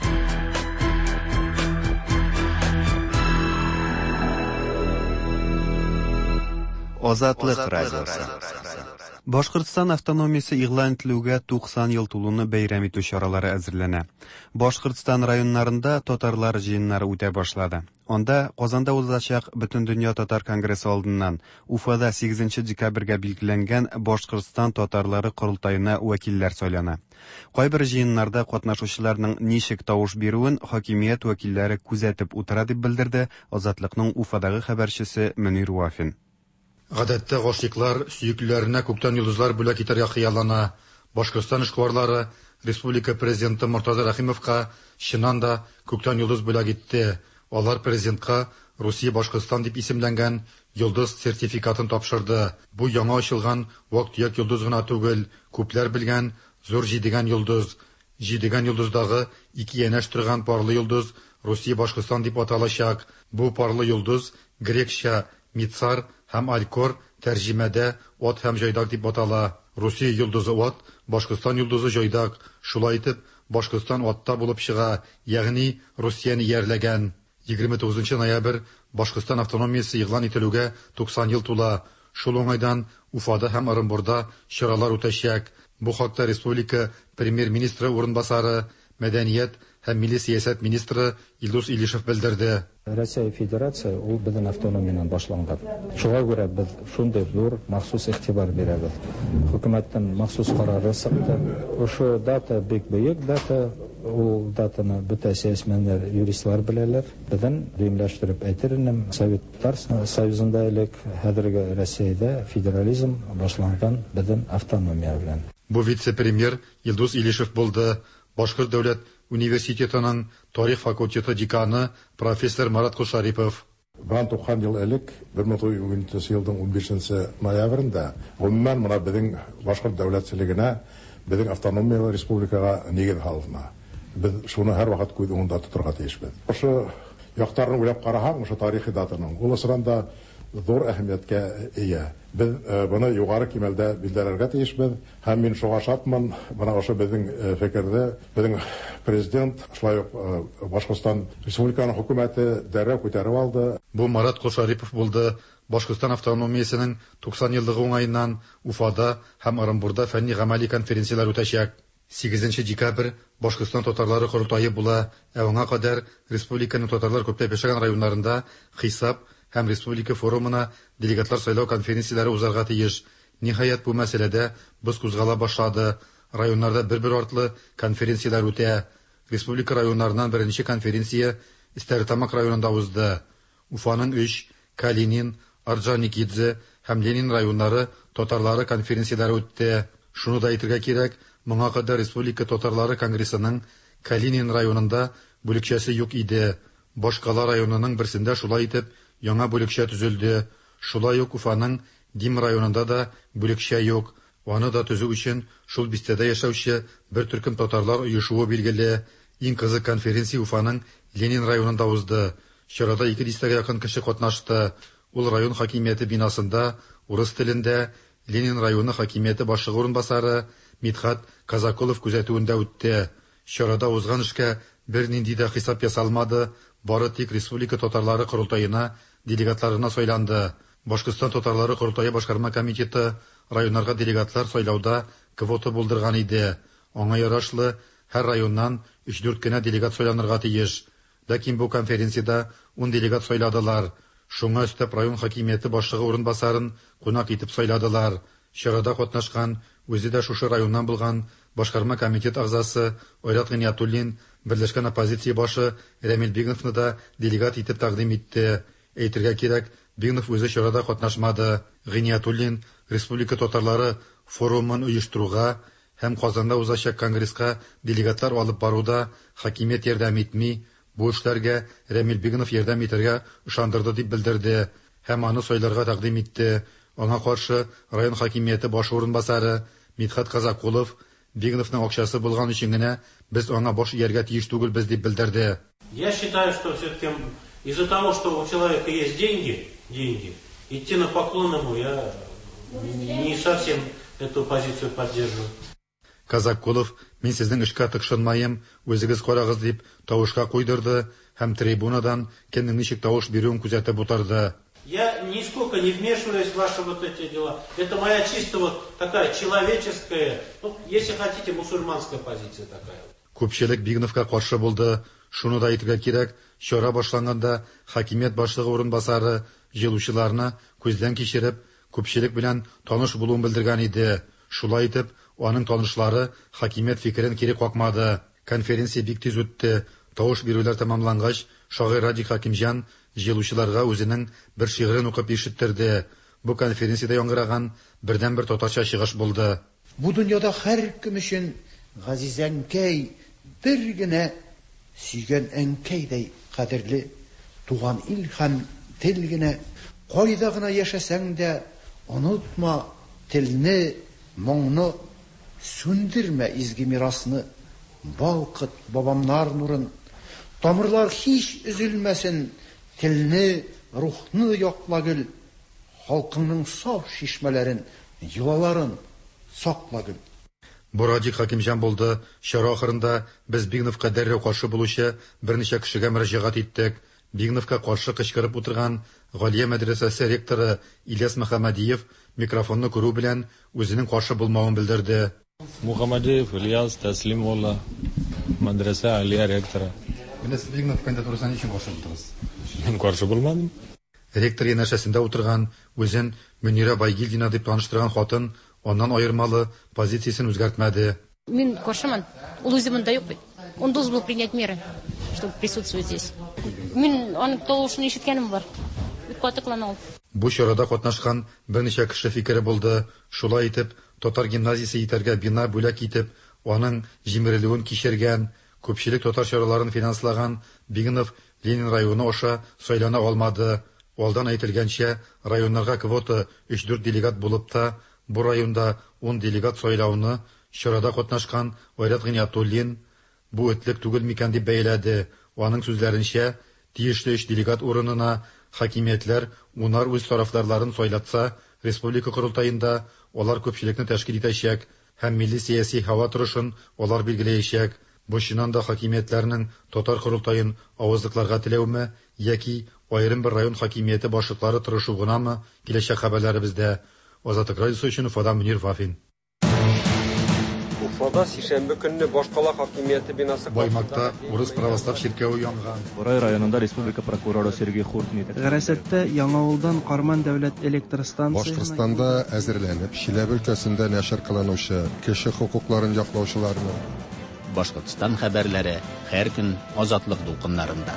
Азатлык радиосы. Башкортстан автономиясе игълан ителүгә 90 ел тулуны бәйрәм итү чаралары әзерләнә. Башкортстан районнарында татарлар җыеннары үтә башлады. Анда Казанда узачак Бөтендөнья татар конгрессы алдыннан Уфада 8 декабрьгә билгеләнгән Башкортстан татарлары корылтаена вәкилләр сайлана. Кайбер җыеннарда катнашучыларның ничек тавыш бирүен хакимият вәкилләре күзәтеп утыра дип белдерде Азатлыкның Уфадагы хәбәрчесе Мөнир Вафин. Гадәттә гашыйклар сөеклеләренә күктән йолдызлар бүләк итәргә хыяллана. Башкортстан эшкуарлары республика президенты Мортаза Рәхимовка чыннан да күктән йолдыз бүләк итте. Алар президентка Русия Башкортстан дип исемләнгән йолдыз сертификатын тапшырды. Бу яңа ачылган вак-төяк йолдыз гына түгел, күпләр белгән зур җидегән йолдыз. Җидегән йолдыздагы ике янәш торган парлы йолдыз Русия Башкортстан дип аталачак. Бу парлы йолдыз грекча Мицар һәм Алькор тәрҗемәдә ат һәм җайдак дип атала. Русия йолдызы ат, Башкортстан йолдызы җайдак. Шулай итеп, Башкортстан атта булып чыга, ягъни Русияне иярләгән. 29 ноябрь Башкортстан автономиясе игълан ителүгә 90 ел тула. Шул уңайдан Уфада һәм Орынбурда чаралар үтәчәк. Бу хакта республика премьер-министры урынбасары, мәдәният һәм милли сәясәт министры Илдус Илишев белдерде. Россия Федерация ул безнең автономиянан башланган. Шуңа күрә без шундый зур махсус игътибар бирәбез. Хөкүмәттән махсус карары чыкты. Ошо дата бик бөек дата. Ул датаны бөтә сәясмәннәр, юристлар беләләр. Безнең дөймләштереп әйтер идем, Советлар Союзында элек хәзерге Россиядә федерализм башланган безнең автономия белән. Бу вице-премьер Илдус Илишев булды. Башкорт дәүләт университетының тарих факультеты деканы профессор Марат Кошарипов. Бынан 90 ел элек, 1913 елның 15 ноябрендә, гомумән менә безнең башкорт дәүләтчелегенә, безнең автономиялы республикага нигез салына. Без шуны һәрвакыт күз уңында тотырга тиешбез. Ошо яктарын уйлап карасаң, ошо тарихи датаның, ул ысран да зур әһәмияткә ия. Без быны югары кимәлдә билдерергә тиешбез. Һәм мин шуңа шатмын, бына ошо безнең фикерҙе безнең президент, шулай ук Башкортстан Республиканың хөкүмәте дәррәү күтәреп алды. Бу Марат Кошарипов булды. Башкортстан автономиясенең 90 еллыгы уңаеннан Уфада һәм Орынбурда фәнни гамәли конференцияләр үтәчәк. 8 декабрь Башкортстан татарлары корылтае була. Ә аңа кадәр республиканың татарлар күпләп яшәгән районнарында хисап һәм республика форумына делегатлар сайлау конференцияләре узарга тиеш. Ниһаять, бу мәсьәләдә боз кузгала башлады. Районнарда бер-бер артлы конференцияләр үтә. Республика районнарыннан беренче конференция Стәрлетамак районында узды. Уфаның 3, Калинин, Орджоникидзе һәм Ленин районнары татарлары конференцияләре үтте. Шуны да әйтергә кирәк, моңа кадәр Республика татарлары конгрессының Калинин районында бүлекчәсе юк иде. Башкала районының берсендә шулай итеп яңа бүлекчә төзелде. Шулай ук Уфаның Дим районында да бүлекчә юк. Аны да төзү өчен шул бистәдә яшәүче бер төркем татарлар оешуы билгеле. Иң кызык конференция Уфаның Ленин районында узды. Чарада ике дистәгә якын кеше катнашты. Ул район хакимияте бинасында урыс телендә Ленин районы хакимияте башлыгы урынбасары Мидхат Казакулов күзәтүендә үтте. Чарада узган эшкә бернинди дә хисап ясалмады, бары тик республика татарлары корылтаена делегатлар гына сайланды. Башкортстан татарлары корылтае башкарма комитеты районнарга делегатлар сайлауда квота булдырган иде. Аңа ярашлы, һәр районнан өч-дүрт кенә делегат сайланырга тиеш. Ләкин бу конференциядә ун делегат сайладылар. Шуңа өстәп район хакимияте башлыгы урынбасарын кунак итеп сайладылар. Чарада катнашкан, үзе дә шушы районнан булган башкарма комитет әгъзасы Айрат Гыйниятуллин берләшкән оппозиция башы Рәмил Бигновны да делегат итеп тәкъдим итте. Әйтергә кирәк, Бигнов үзе чарада катнашмады. Гыйниятуллин республика татарлары форумын оештыруга һәм Казанда узачак конгресска делегатлар алып баруда хакимият ярдәм итми, бу эшләргә Рәмил Бигнов ярдәм итәргә ышандырды дип белдерде һәм аны сайларга тәкъдим итте. Аңа каршы район хакимияте башы урынбасары Мидхәт Казакулов, Бигновның акчасы булган өчен генә без аңа баш ияргә тиеш түгелбез дип белдерде. Я считаю, что все-таки из-за того, что у человека есть деньги, деньги, идти на поклон ему я не совсем эту позицию поддерживаю. Казакулов, мин сезнең эшкә тыкшынмаем, үзегез карагыз дип тавышка куйдырды һәм трибунадан кемнең ничек тавыш бирүен күзәтеп утырды. Я нисколько не вмешиваюсь в ваши вот эти дела. Это моя чисто вот такая человеческая, ну, если хотите, мусульманская позиция такая. Күпчелек Бигновка каршы булды. Шуны да әйтергә кирәк, чара башланганда хакимият башлыгы урынбасары җыелучыларны күздән кичереп, күпчелек белән таныш булуын белдергән иде. Шулай итеп, аның танышлары хакимият фикерен кире какмады. Конференция бик тиз үтте. Тавыш бирүләр тәмамлангач, шагыйрь Радик Хәкимҗан җыелучыларга үзенең бер шигырен укып ишеттерде. Бу конференциядә яңгыраган бердәнбер татарча чыгыш булды. Бу дөньяда һәркем өчен газиз әнкәй бер генә, сөйгән әнкәйдәй кадерле туган ил һәм тел генә. Кайда гына яшәсәң дә, онытма телне, моңны, сүндермә изге мирасны, балкыт бабамнар нурын. Тамырлар һич өзелмәсен, телне, рухны якла гел, халкыңның саф чишмәләрен, йолаларын сакла гел. Бу Радик Хәкимҗан булды. Чара ахырында без Бигновка дәррәү каршы булучы берничә кешегә мөрәҗәгать иттек. Бигновка каршы кычкырып утырган Галия мәдрәсәсе ректоры Ильяс Мөхәммәдиев микрофонны күрү белән үзенең каршы булмавын белдерде. Мухаммадиев Ильяс Тәслим улы, мәдрәсә Алия ректоры. Менә сез Бигнов кандидатурасына ни өчен каршы булдыгыз? Мин каршы булмадым. Ректор янәшәсендә утырган, үзен Мөнирә Байгилдина дип таныштырган хатын аннан аермалы позициясен үзгәртмәде. Мин каршымын. Ул үзе монда юк бит. Он должен был принять меры, чтобы присутствовать здесь. Мин аның тавышын ишеткәнем бар. Бик каты кылана ул. Бу чарада катнашкан берничә кеше фикере булды. Шулай итеп, татар гимназиясе итәргә бина бүләк итеп, аның җимерелүен кичергән, күпчелек татар чараларын финанслаган Бигнов Ленин районы аша сайлана алмады. Алдан әйтелгәнчә, районнарга квота өч-дүрт делегат булып та, бу районда ун делегат сайлауны чарада катнашкан Айрат Гыйниятуллин бу этлек түгел микән дип бәяләде. Аның сүзләренчә, тиешле өч делегат урынына хакимиятләр унар үз тарафдарларын сайлатса, республика корылтаенда алар күпчелекне тәшкил итәчәк һәм милли сәяси һава торышын алар билгеләячәк. Бу чыннан да хакимиятләрнең татар корылтаен авызлыкларга теләүме яки аерым бер район хакимияте башлыклары тырышу гынамы, киләчәк хәбәрләребездә. Азатлык радиосы өчен Уфадан Мөнир Вафин. Уфада сишәмбе көнне башкала хакимияте бинасы Баймакта урыс православ чиркәве янган. Борай районында республика прокуроры Сергей Хуртин итәкчелек. Гарәсәттә Яңавылдан Карман дәүләт электр станциясенә Башкортстанда әзерләнеп, Чиләбе өлкәсендә нәшер кылынучы кеше хокукларын яклаучыларны, Башкортстан хәбәрләре һәр көн Азатлык дулкыннарында.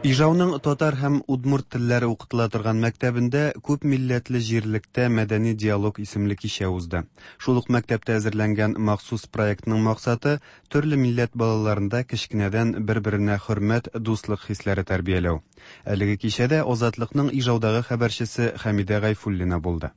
Ижауның татар һәм удмурт телләре укытыла торган мәктәбендә күп милләтле җирлектә мәдәни диалог исемле кичә узды. Шул ук мәктәптә әзерләнгән махсус проектның максаты төрле милләт балаларында кечкенәдән бер-беренә хөрмәт, дуслык хисләре тәрбияләү. Әлеге кичәдә Азатлыкның Ижаудагы хәбәрчесе Хәмидә Гайфуллина булды.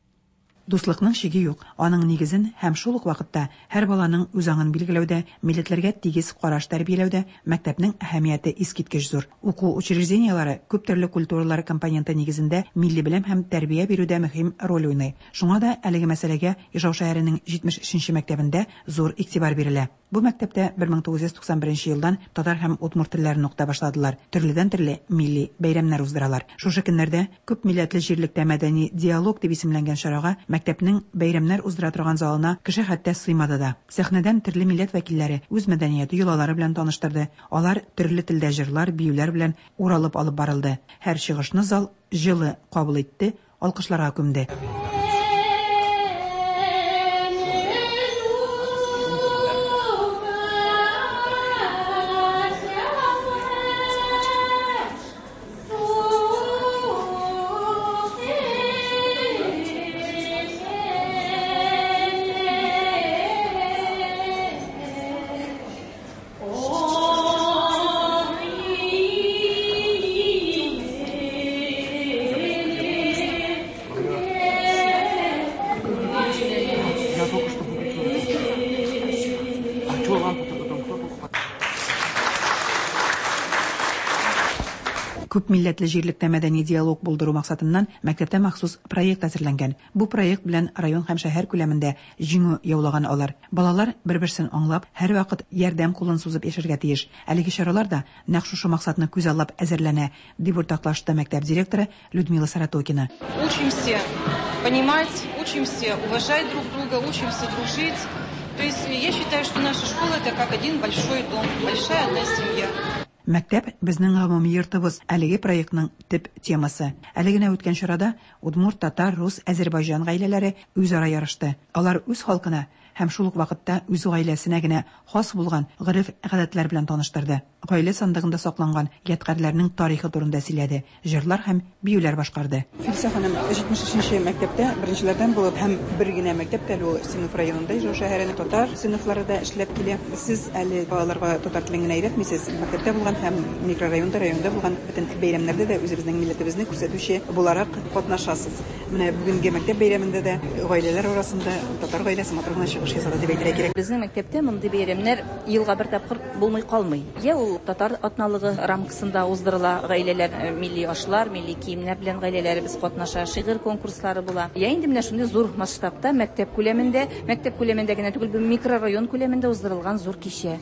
Дуслыкның чиге юк, аның нигезен һәм шул ук вакытта һәр баланың үзаңын билгеләүдә, милләтләргә тигез караш тәрбияләүдә мәктәпнең әһәмияте искиткеч зур. Уку учреждениеләре күп төрле культуралар компоненты нигезендә милли белем һәм тәрбия бирүдә мөһим роль уйный. Шуңа да әлеге мәсьәләгә Ижау шәһәренең 73 нче мәктәбендә зур игътибар бирелә. Бу мәктәптә 1991 елдан татар һәм удмурт телләрен укыта башладылар, төрледән-төрле милли бәйрәмнәр уздыралар. Шушы көннәрдә күп милләтле җирлектә мәдәни диалог дип исемләнгән чарага мәктәпнең бәйрәмнәр уздыра торган залына кеше хәтта сыймады да. Сәхнәдән төрле милләт вәкилләре үз мәдәнияте, йолалары белән таныштырды, алар төрле телдә җырлар, биюләр белән уралып алып барылды. Һәр чыгышны зал җылы кабул итте, алкышларга күмде. Күп милләтле җирлектә мәдәни диалог булдыру максатыннан мәктәптә махсус проект әзерләнгән. Бу проект белән район һәм шәһәр күләмендә җиңү яулаган алар. Балалар бер-берсен аңлап, һәрвакыт ярдәм кулын сузып яшәргә тиеш. Әлеге чаралар да нәкъ шушы максатны күзаллап әзерләнә, дип уртаклашты мәктәп директоры Людмила Саратокина. Учимся понимать, учимся уважать друг друга, учимся дружить. То есть я считаю, что наша школа это как один большой дом, большая одна семья. Мәктәп безнең гомуми йортыбыз әлеге проектның төп темасы. Әле генә үткән чарада удмурт, татар, рус, әзербайҗан гаиләләре үзара ярышты. Алар үз халкына һәм шул ук вакытта үз гаиләсенә генә хас булган гореф-гадәтләр белән таныштырды. Гаилә сандыгында сакланган ядкарьләрнең тарихы турында сөйләде, җырлар һәм биюләр башкарды. Филсә ханым, 73 нче мәктәптә беренчеләрдән булып һәм бер генә мәктәп тә әле ул Синов районында, Ижау шәһәренең татар сыйныфлары да эшләп килә. Сез әле балаларга татар телен генә өйрәтмисез, мәктәптә булган һәм микрорайонда, районда булган бөтен бәйрәмнәрдә дә үзебезнең милләтебезне күрсәтүче буларак катнашасыз. Менә бүгенге мәктәп бәйрәмендә дә гаиләләр арасында татар гаиләсе матур гына чыгыш ясады дип әйтергә кирәк. Безнең мәктәптә мондый бәйрәмнәр елга бер тапкыр булмый калмый. Йә ул татар атналыгы рамкасында уздырыла, гаиләләр э, милли ашлар, милли киемнәр белән гаиләләребез катнаша, шигырь конкурслары була. Йә инде менә шундый зур масштабта мәктәп күләмендә, мәктәп күләмендә генә түгел, бу микрорайон күләмендә уздырылган зур кичә.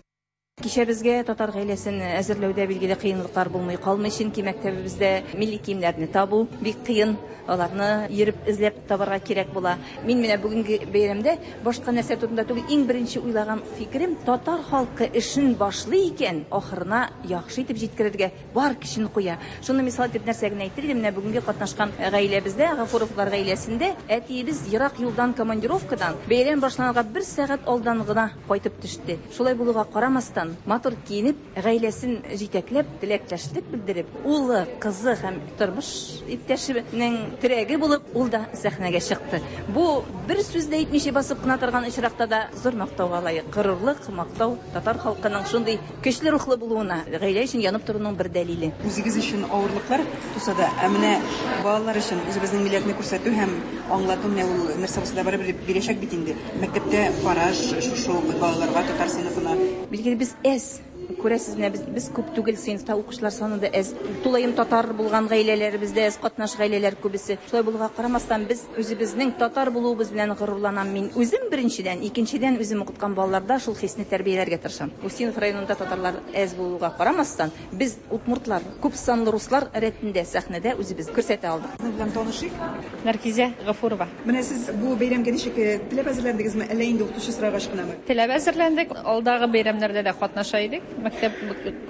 Кичәбезгә татар гаиләсен әзерләүдә билгеле кыенлыклар булмый калмый, чөнки мәктәбебездә милли киемнәрне табу бик кыен, аларны йөреп эзләп табарга кирәк була. Мин менә бүгенге бәйрәмдә башка нәрсә турында түгел, иң беренче уйлаган фикерем, татар халкы эшен башлый икән, ахырына яхшы итеп җиткерергә бар көчен куя. Шуны мисал итеп нәрсә генә әйтер идем, менә бүгенге катнашкан гаиләбездә, Гафуровлар гаиләсендә әтиебез ерак юлдан командировкадан бәйрәм башланырга бер сәгать алдан гына кайтып төште. Шулай булуга карамастан, матур киенеп, гаиләсен җитәкләп, теләктәшлек белдереп, улы, кызы һәм тормыш иптәшенең терәге булып, ул да сәхнәгә чыкты. Бу бер сүз дә әйтмичә басып кына торган очракта да зур мактауга лаек. Горурлык, мактау татар халкының шундый Көчле рухлы булуына, гаилә өчен янып торуның бер дәлиле. Үзегез өчен авырлыклар туса да, ә менә балалар өчен үзебезнең милләтне күрсәтү һәм аңлату менә ул нәрсә булса да барыбер бирәчәк бит инде. Мәктәптә караш шушы ук балаларга, татар сыйныфына. Билгеле, без әз. Күрәсез, менә без, без күп түгел, сыйныфта укучылар саны да әз. Тулаем татар булган гаиләләребез дә әз, катнаш гаиләләр күбесе. Шулай булуга карамастан, без үзебезнең татар булуыбыз белән горурланам мин үзем, беренчедән, икенчедән, үзем укыткан балаларда шул хисне тәрбияләргә тырышам. Устинов районында татарлар әз булуга карамастан, без, удмуртлар, күп санлы руслар рәтендә сәхнәдә үзебезне күрсәтә алдык. Сезнең белән танышыйк. Нәркизә Гафурова. Менә сез бу бәйрәмгә ничек теләп әзерләндегезме, әллә инде укытучы сорагач кынамы? Теләп әзерләндек. Алдагы бәйрәмнәрдә дә катнаша идек. Мәктәп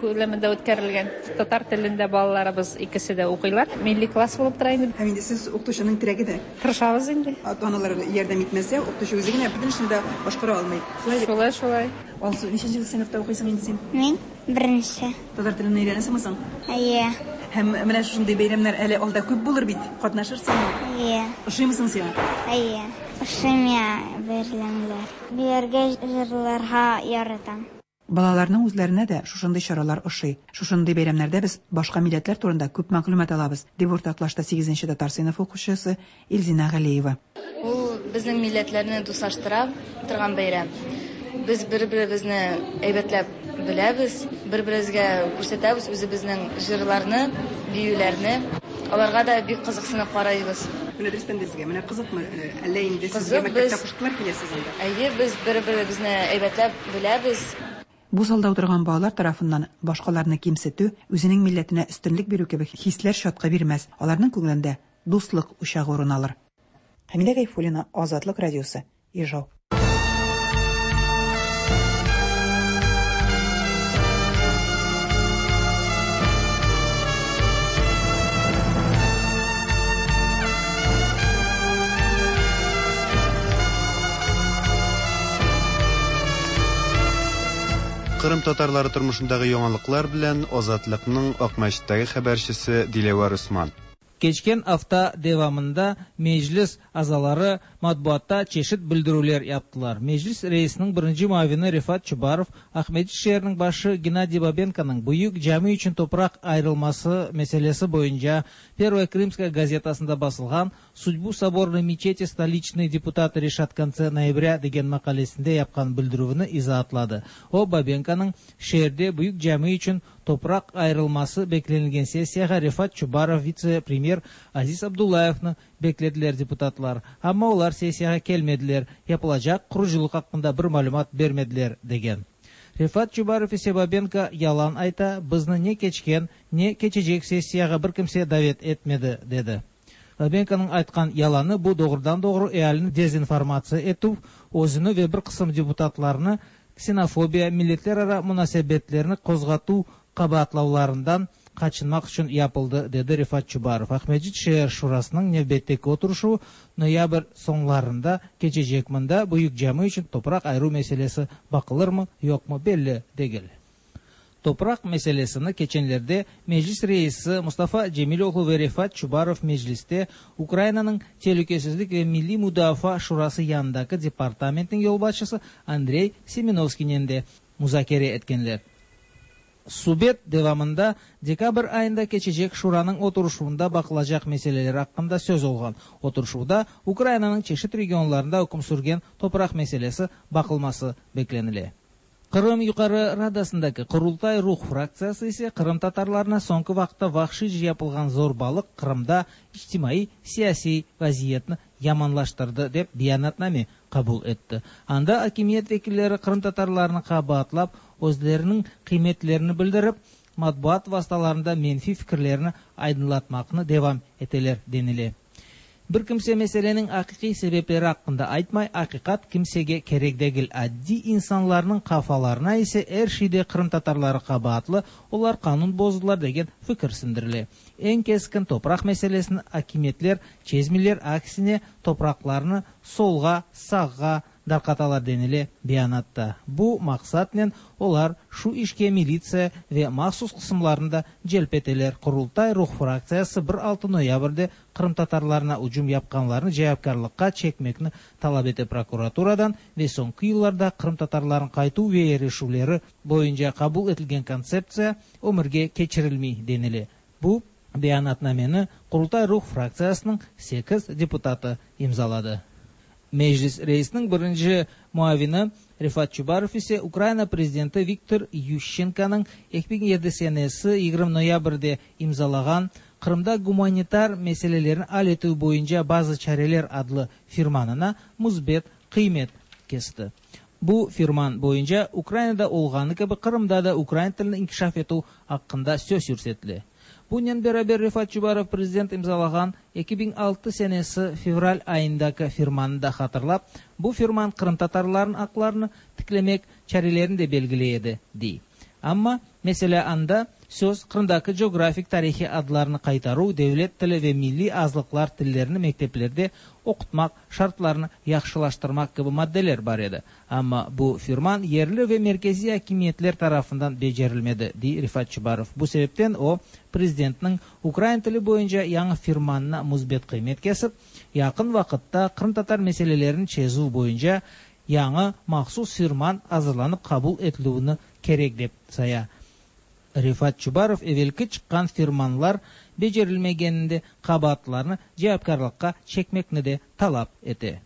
күләмендә үткәрелгән татар телендә балаларыбыз икесе дә укыйлар. Милли класс булып тора инде. Һәм инде сез укытучының терәге дә. Тырышабыз инде. Ата-аналар ярдәм итмәсә, укытучы үзе генә бөтен эшне дә башкара алмый. Шулай бит? Шулай, шулай. Алсу, ничәнче сыйныфта укыйсың инде син? Мин, беренче. Татар телен өйрәнәсеңме соң? Әйе. Һәм менә шушындый бәйрәмнәр әле алда күп булыр бит. Катнашырсыңмы? Әйе. Ошыймы соң сиңа? Әйе. Ошый миңа бәйрәмнәр. Биергә, җырларга яратам. Балаларның үзләренә дә шушындый чаралар ошый. Шушындый бәйрәмнәрдә без башка милләтләр турында күп мәгълүмат алабыз, дип уртаклашты сигезенче татар сыйныфы укучысы Илзинә Галиева. Ул безнең милләтләрне дуслаштыра торган бәйрәм. Без бер-беребезне әйбәтләп беләбез, бер-беребезгә күрсәтәбез үзебезнең җырларны, биюләрне. Аларга да бик кызыксынып карыйбыз. Менә дөрестән дә сезгә менә кызыкмы, әллә инде сезгә мәктәптә куштылар киләсез анда? Әйе, без бер-беребезне әйбәтләп беләбез. Бу залда утырган балалар тарафыннан башкаларны кимсетү, үзенең милләтенә өстенлек бирү кебек хисләр чаткы бирмәс, аларның күңелендә дуслык учагы урын алыр. Хәмидә Гайфуллина, Азатлык радиосы, Ижау. Кырым татарлары тормышындагы яңалыклар белән Азатлыкның Акмәчеттәге хәбәрчесе Диләвәр Усман. Keçken afta devamında Meclis azaları matbuatta çeşit bildirüvler yaptılar. Meclis reisiniñ birinci muavini Refat Çubarov Aqmescit şeeriniñ başı Gennadiy Babenkonıñ Büyük cami içün topraq ayırılması meselesi boyunca Pervaya Krımskaya gazetasında basılğan Sudbu sobornoy meçeti stoliçnıye deputatı reşat kontse noyabrâ degen maqalesinde yapqan bildirüvini izaatladı. O, Babenkonıñ şeerde Büyük cami içün topraq ayırılması beklenilgen sessiyağa Refat Çubarov, vitse-premyer Aziz Abdullayevni beklediler deputatlar. Amma olar sessiyağa kelmediler, yapılacaq qurucılıq aqqında bir malümat bermediler, degen. Refat Çubarov ise Babenko yalan ayta, bizni ne keçken, ne keçecek sessiyağa bir kimse davet etmedi, dedi. Babenkonıñ aytqan yalanı bu doğrudan-doğru ealini dezinformatsiya etüv, özüni ve bir qısım deputatlarnı ksenofobiya, milletlerara munasebetlerni qozğatuv qabaatlavlarından qaçınmaq içün yapıldı, dedi Refat Çubarov. Aqmescit şeer şurasınıñ nevbetteki oturışuvı noyabr soñlarında keçecek, mında Büyük cami içün topraq ayıruv meselesi baqılırmı, yoqmı belli degil. Topraq meselesini keçenlerde Meclis reisi Mustafa Cemiloğlu ve Refat Çubarov Mecliste Ukrainanıñ Telükesizlik ve milliy mudafaa şurası yanındaki departamentniñ yolbaşçısı Andrey Semenovskiynen de muzakere etkenler. Subet devamında dekabr ayında keçecek Şuranıñ oturışuvında baqılacaq meseleler aqqında söz olğan. Oturışuvda Ukrainanıñ çeşit regionlarında üküm sürgen topraq meselesi baqılması beklenile. Qırım Yuqarı Radasındaki Qurultay-Ruh fraktsiyası ise qırımtatarlarına soñki vaqıtta vahşiyce yapılğan zorbalıq Qırımda içtimaiy-siyasiy vaziyetni yamanlaştırdı, dep beyanatname qabul etti. Anda akimiyet vekilleri qırımtatarlarnı qabaatlap, özleriniñ qıymetlerini bildirip, matbuat vastalarında menfiy fikirlerini aydınlatmaqnı devam eteler, denile. Bir kimse meseleniñ aqiqiy sebepleri aqqında aytmay, aqiqat kimsege kerek degil, addiy insanlarnıñ qafalarına ise er şeyde qırımtatarları qabaatlı, olar qanun bozdılar degen fikir sindirile. Eñ keskin topraq meselesini akimiyetler çezmeyler, aksine topraqlarnı solğa, sağğa, darqatalar, denile beyanatta. Bu maqsatnen olar şu işke militsiya ve mahsus qısımlarnı da celp eteler. Qurultay-Ruh fraktsiyası bir altı noyabrde qırımtatarlarına ücüm yapqanlarnı cevapkârlıqqa çekmekni talap ete prokuraturadan ve soñki yıllarda qırımtatarlarnıñ qaytuv ve yerleşüvleri boyunca qabul etilgen kontseptsiya ömürge keçirilmey, denile. Bu beyanatnameni Qurultay-Ruh fraktsiyasınıñ sekiz deputatı imzaladı. Meclis reisiniñ birinci muavini Refat Çubarov ise Ukraina prezidenti Viktor Yuşçenkonıñ 2007 senesi 20 noyabrde imzalağan Qırımda gumanitar meselelerni al etüv boyunca bazı çareler adlı firmanına müsbet qıymet kesti. Bu firman boyunca Ukrainada olğanı kibi Qırımda da ukrain tilini inkişaf etüv aqqında söz yürsetile. Bunen beraber Refat Çubarov prezident imzalağan 2006 senesi fevral ayındaki firmannı da hatırlap, bu firman qırımtatarlarnıñ aqlarını tiklemek çarelerini de belgiley edi, dey. Amma, meselâ, anda. Söz, Qırımdaki coğrafik tarihiy adlarnı qaytaruv, devlet tili ve milliy azlıqlar tillerini mekteplerde oqutmaq şartlarını yahşılaştırmaq kibi maddeler bar edi. Amma bu firman yerli ve merkeziy akimiyetler tarafından becerilmedi, dey Refat Çubarov. Bu sebepten o, prezidentniñ ukrain tili boyunca yañı firmanına müsbet qıymet kesip, yaqın vaqıtta qırımtatar meselelerini çezüv boyunca yañı mahsus firman azırlanıp qabul etilüvini kerek dep saya. Refat Çubarov evelki çıqqan firmanlar becerilmegeninde qabaatlılarnı cevapkârlıqqa çekmekni de talap ete.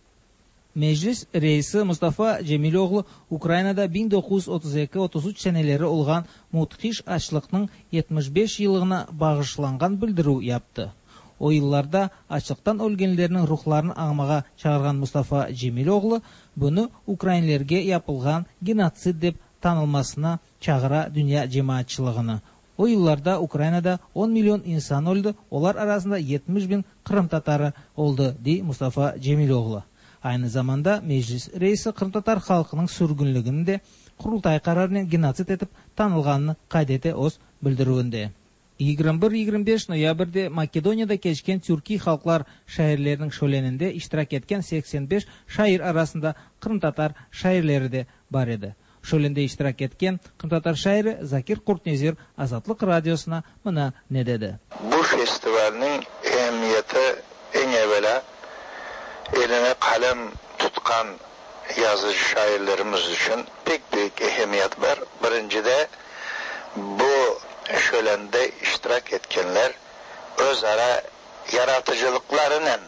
Meclis reisi Mustafa Cemiloğlu Ukrainada 1932, 33 seneleri olğan müthiş açlıqnıñ 75 yıllığına bağışlanğan bildirüv yaptı. O yıllarda açlıqtan ölgenlerniñ ruhlarını añmağa çağırğan Mustafa Cemiloğlu bunı ukrainlerge yapılğan genotsid dep tanılmasına çağıra dünya cemaatçılığını. O yıllarda Ukrainada on million insan öldi, olar arasında 70 biñ qırımtatarı oldı, dey Mustafa Cemiloğlu. Aynı zamanda Meclis reisi qırımtatar halqınıñ sürgünligini de Qurultay qararınen genotsid etip tanılğanını qayd ete öz bildirüvinde. 21, 25 noyabrde Makedoniyada keçken türkiy halqlar şairleriniñ şöleninde iştirak etken 85 şair arasında qırımtatar şairleri de bar edi. Şölende iştirak etken qırımtatar şairi Zakir Qurtnezir Azatlıq Radiosına mına ne dedi. Bu festivalniñ emiyeti eñ evelâ eline qalem tutqan yazıcı-şairlerimiz içün pek büyük ehemmiyet bar. Birincide, bu şölende iştirak etkenler öz ara yaratıcılıqlarınen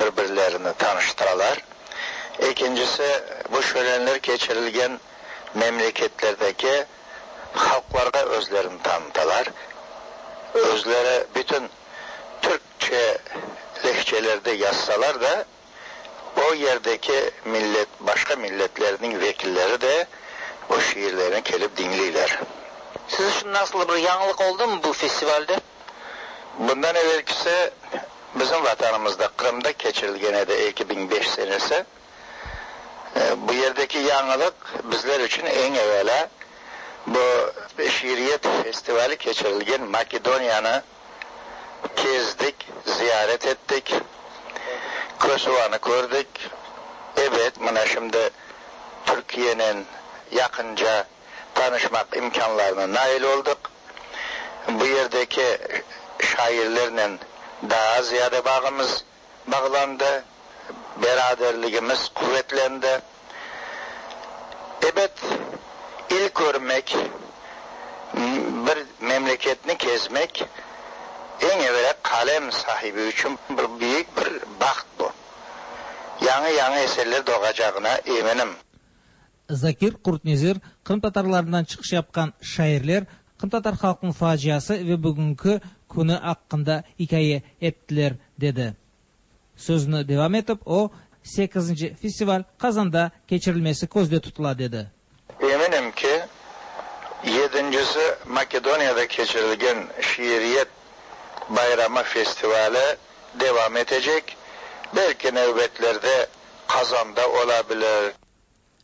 bir-birlerini tanıştıralar. Ekincisi, bu şölenler keçirilgen memleketlerdeki halqlarğa özlerini tanıtalar. Özleri bütün türkçe lehçelerde yazsalar da, o yerdeki millet, başqa milletlerniñ vekilleri de o şiirlerni kelip diñleyler. Siz içün nasıldır bir yañılıq oldımı bu festivalde? Bundan evelkisi bizim Vatanımızda, Qırımda keçirilgen edi 2005 senesi. Bu yerdeki yañılıq bizler içün eñ evelâ bu şiiriyet festivali keçirilgen Makedoniyanı Kezdik, ziyaret ettik, Kosovanı kördik. Ebet, mına şimdi Türkiyenen yaqınca tanışmaq imkânlarına nail oldıq. Bu yerdeki şairlernen daa ziyade bağımız bağlandı, beraderligimiz quvetlendi. Ebet, il körmek, bir memleketni kezmek, eñ evelâ qalem sahibi içün bir büyük bir baht bu. Yañı-yañı eserler doğacağına eminim. Zakir Qurtnezir, qırımtatarlarından çıqış yapqan şairler qırımtatar halqınıñ faciası ve bugünki künü aqqında ikâye ettiler, dedi. Sözüni devam etip, o, sekizinci festival Qazanda keçirilmesi közde tutula, dedi. Eminim ki, yedincisi Makedoniyada keçirilgen şiiriyet bayramı festivali devam etecek, belki nevbetlerde Qazanda ola bilir.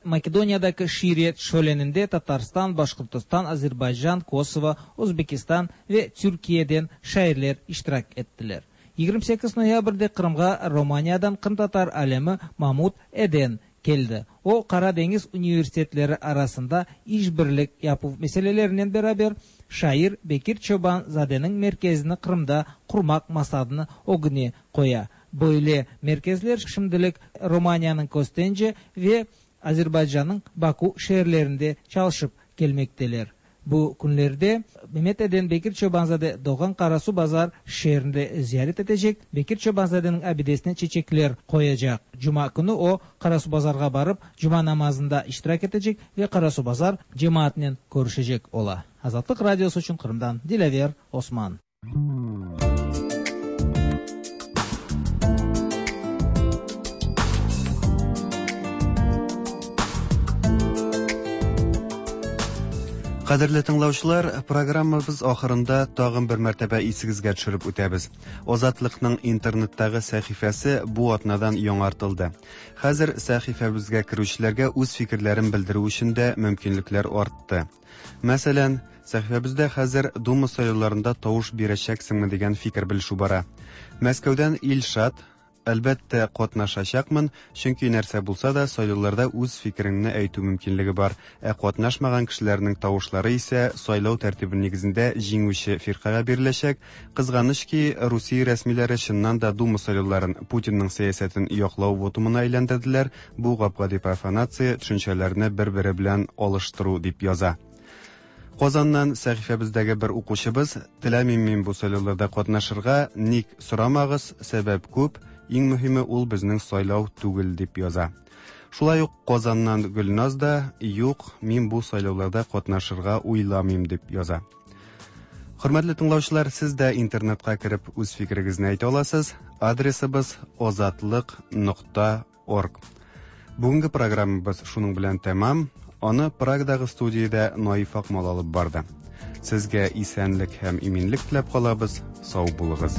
Makedoniyadaki şiiriyet şöleninde Tatarstan, Başqırtostan, Azerbaycan, Kosovo, Özbekistan ve Türkiyeden şairler iştirak ettiler. 28 noyabrde Qırımğa Romaniyadan qırımtatar alimi Mamut Eden keldi. O, Qara deñiz universitetleri arasında işbirlik yapuv meselelerinen beraber şair Bekir Çoban-zadeniñ merkezini Qırımda qurmaq maqsadını ögüne qoya. Böyle merkezler şimdilik Romaniyanıñ Köstence ve Azerbaycannıñ Baku şeerlerinde çalışıp kelmekteler. Bu künlerde Memet Eden Bekir Çoban-zade doğğan Qarasuvbazar şeerinde ziyaret etecek, Bekir Çoban-zadeniñ abidesine çeçekler qoyacaq. Cuma künü o, Qarasuvbazarğa barıp, cuma namazında iştirak etecek ve Qarasuvbazar cemaatınen körüşecek ola. Azatlıq Radiosı içün Qırımdan Dilâver Osman. Кадерле тыңлаучылар, программабыз ахырында тагын бер мәртәбә исегезгә төшереп үтәбез. Азатлыкның интернеттагы сәхифәсе бу атнадан яңартылды. Хәзер сәхифәбезгә керүчеләргә үз фикерләрен белдерү өчен дә мөмкинлекләр артты. Мәсәлән, Сәхифәбездә хәзер Дума сайлауларында тавыш бирәчәксеңме дигән фикер белешү бара. Мәскәүдән Илшат, Әлбәттә, катнашачакмын, чөнки нәрсә булса да, сайлауларда үз фикереңне әйтү мөмкинлеге бар, ә катнашмаган кешеләрнең тавышлары исә сайлау тәртибе нигезендә җиңүче фиркагә биреләчәк. Кызганыч ки, Русия рәсмиләре чыннан да Дума сайлауларын Путинның сәясәтен яклау вотумына әйләндерделәр, бу гап-гади профанация, төшенчәләрне бер-бере белән алыштыру, дип яза. Казаннан сәхифәбездәге бер укучыбыз, Теләмим мин бу сайлауларда катнашырга, ник сорамагыз, сәбәп күп, иң мөһиме ул безнең сайлау түгел, дип яза. Шулай ук Казаннан Гөлназ да, Юк, мин бу сайлауларда катнашырга уйламыйм, дип яза. Хөрмәтле тыңлаучылар, сез дә интернетка кереп үз фикерегезне әйтә аласыз. Адресыбыз озатлык нокта Орг. Бүгенге программабыз шуның белән тәмам. Аны Прагадагы студиядә Наиф Акмал алып барды. Сезгә исәнлек һәм иминлек теләп калабыз. Сау булыгыз.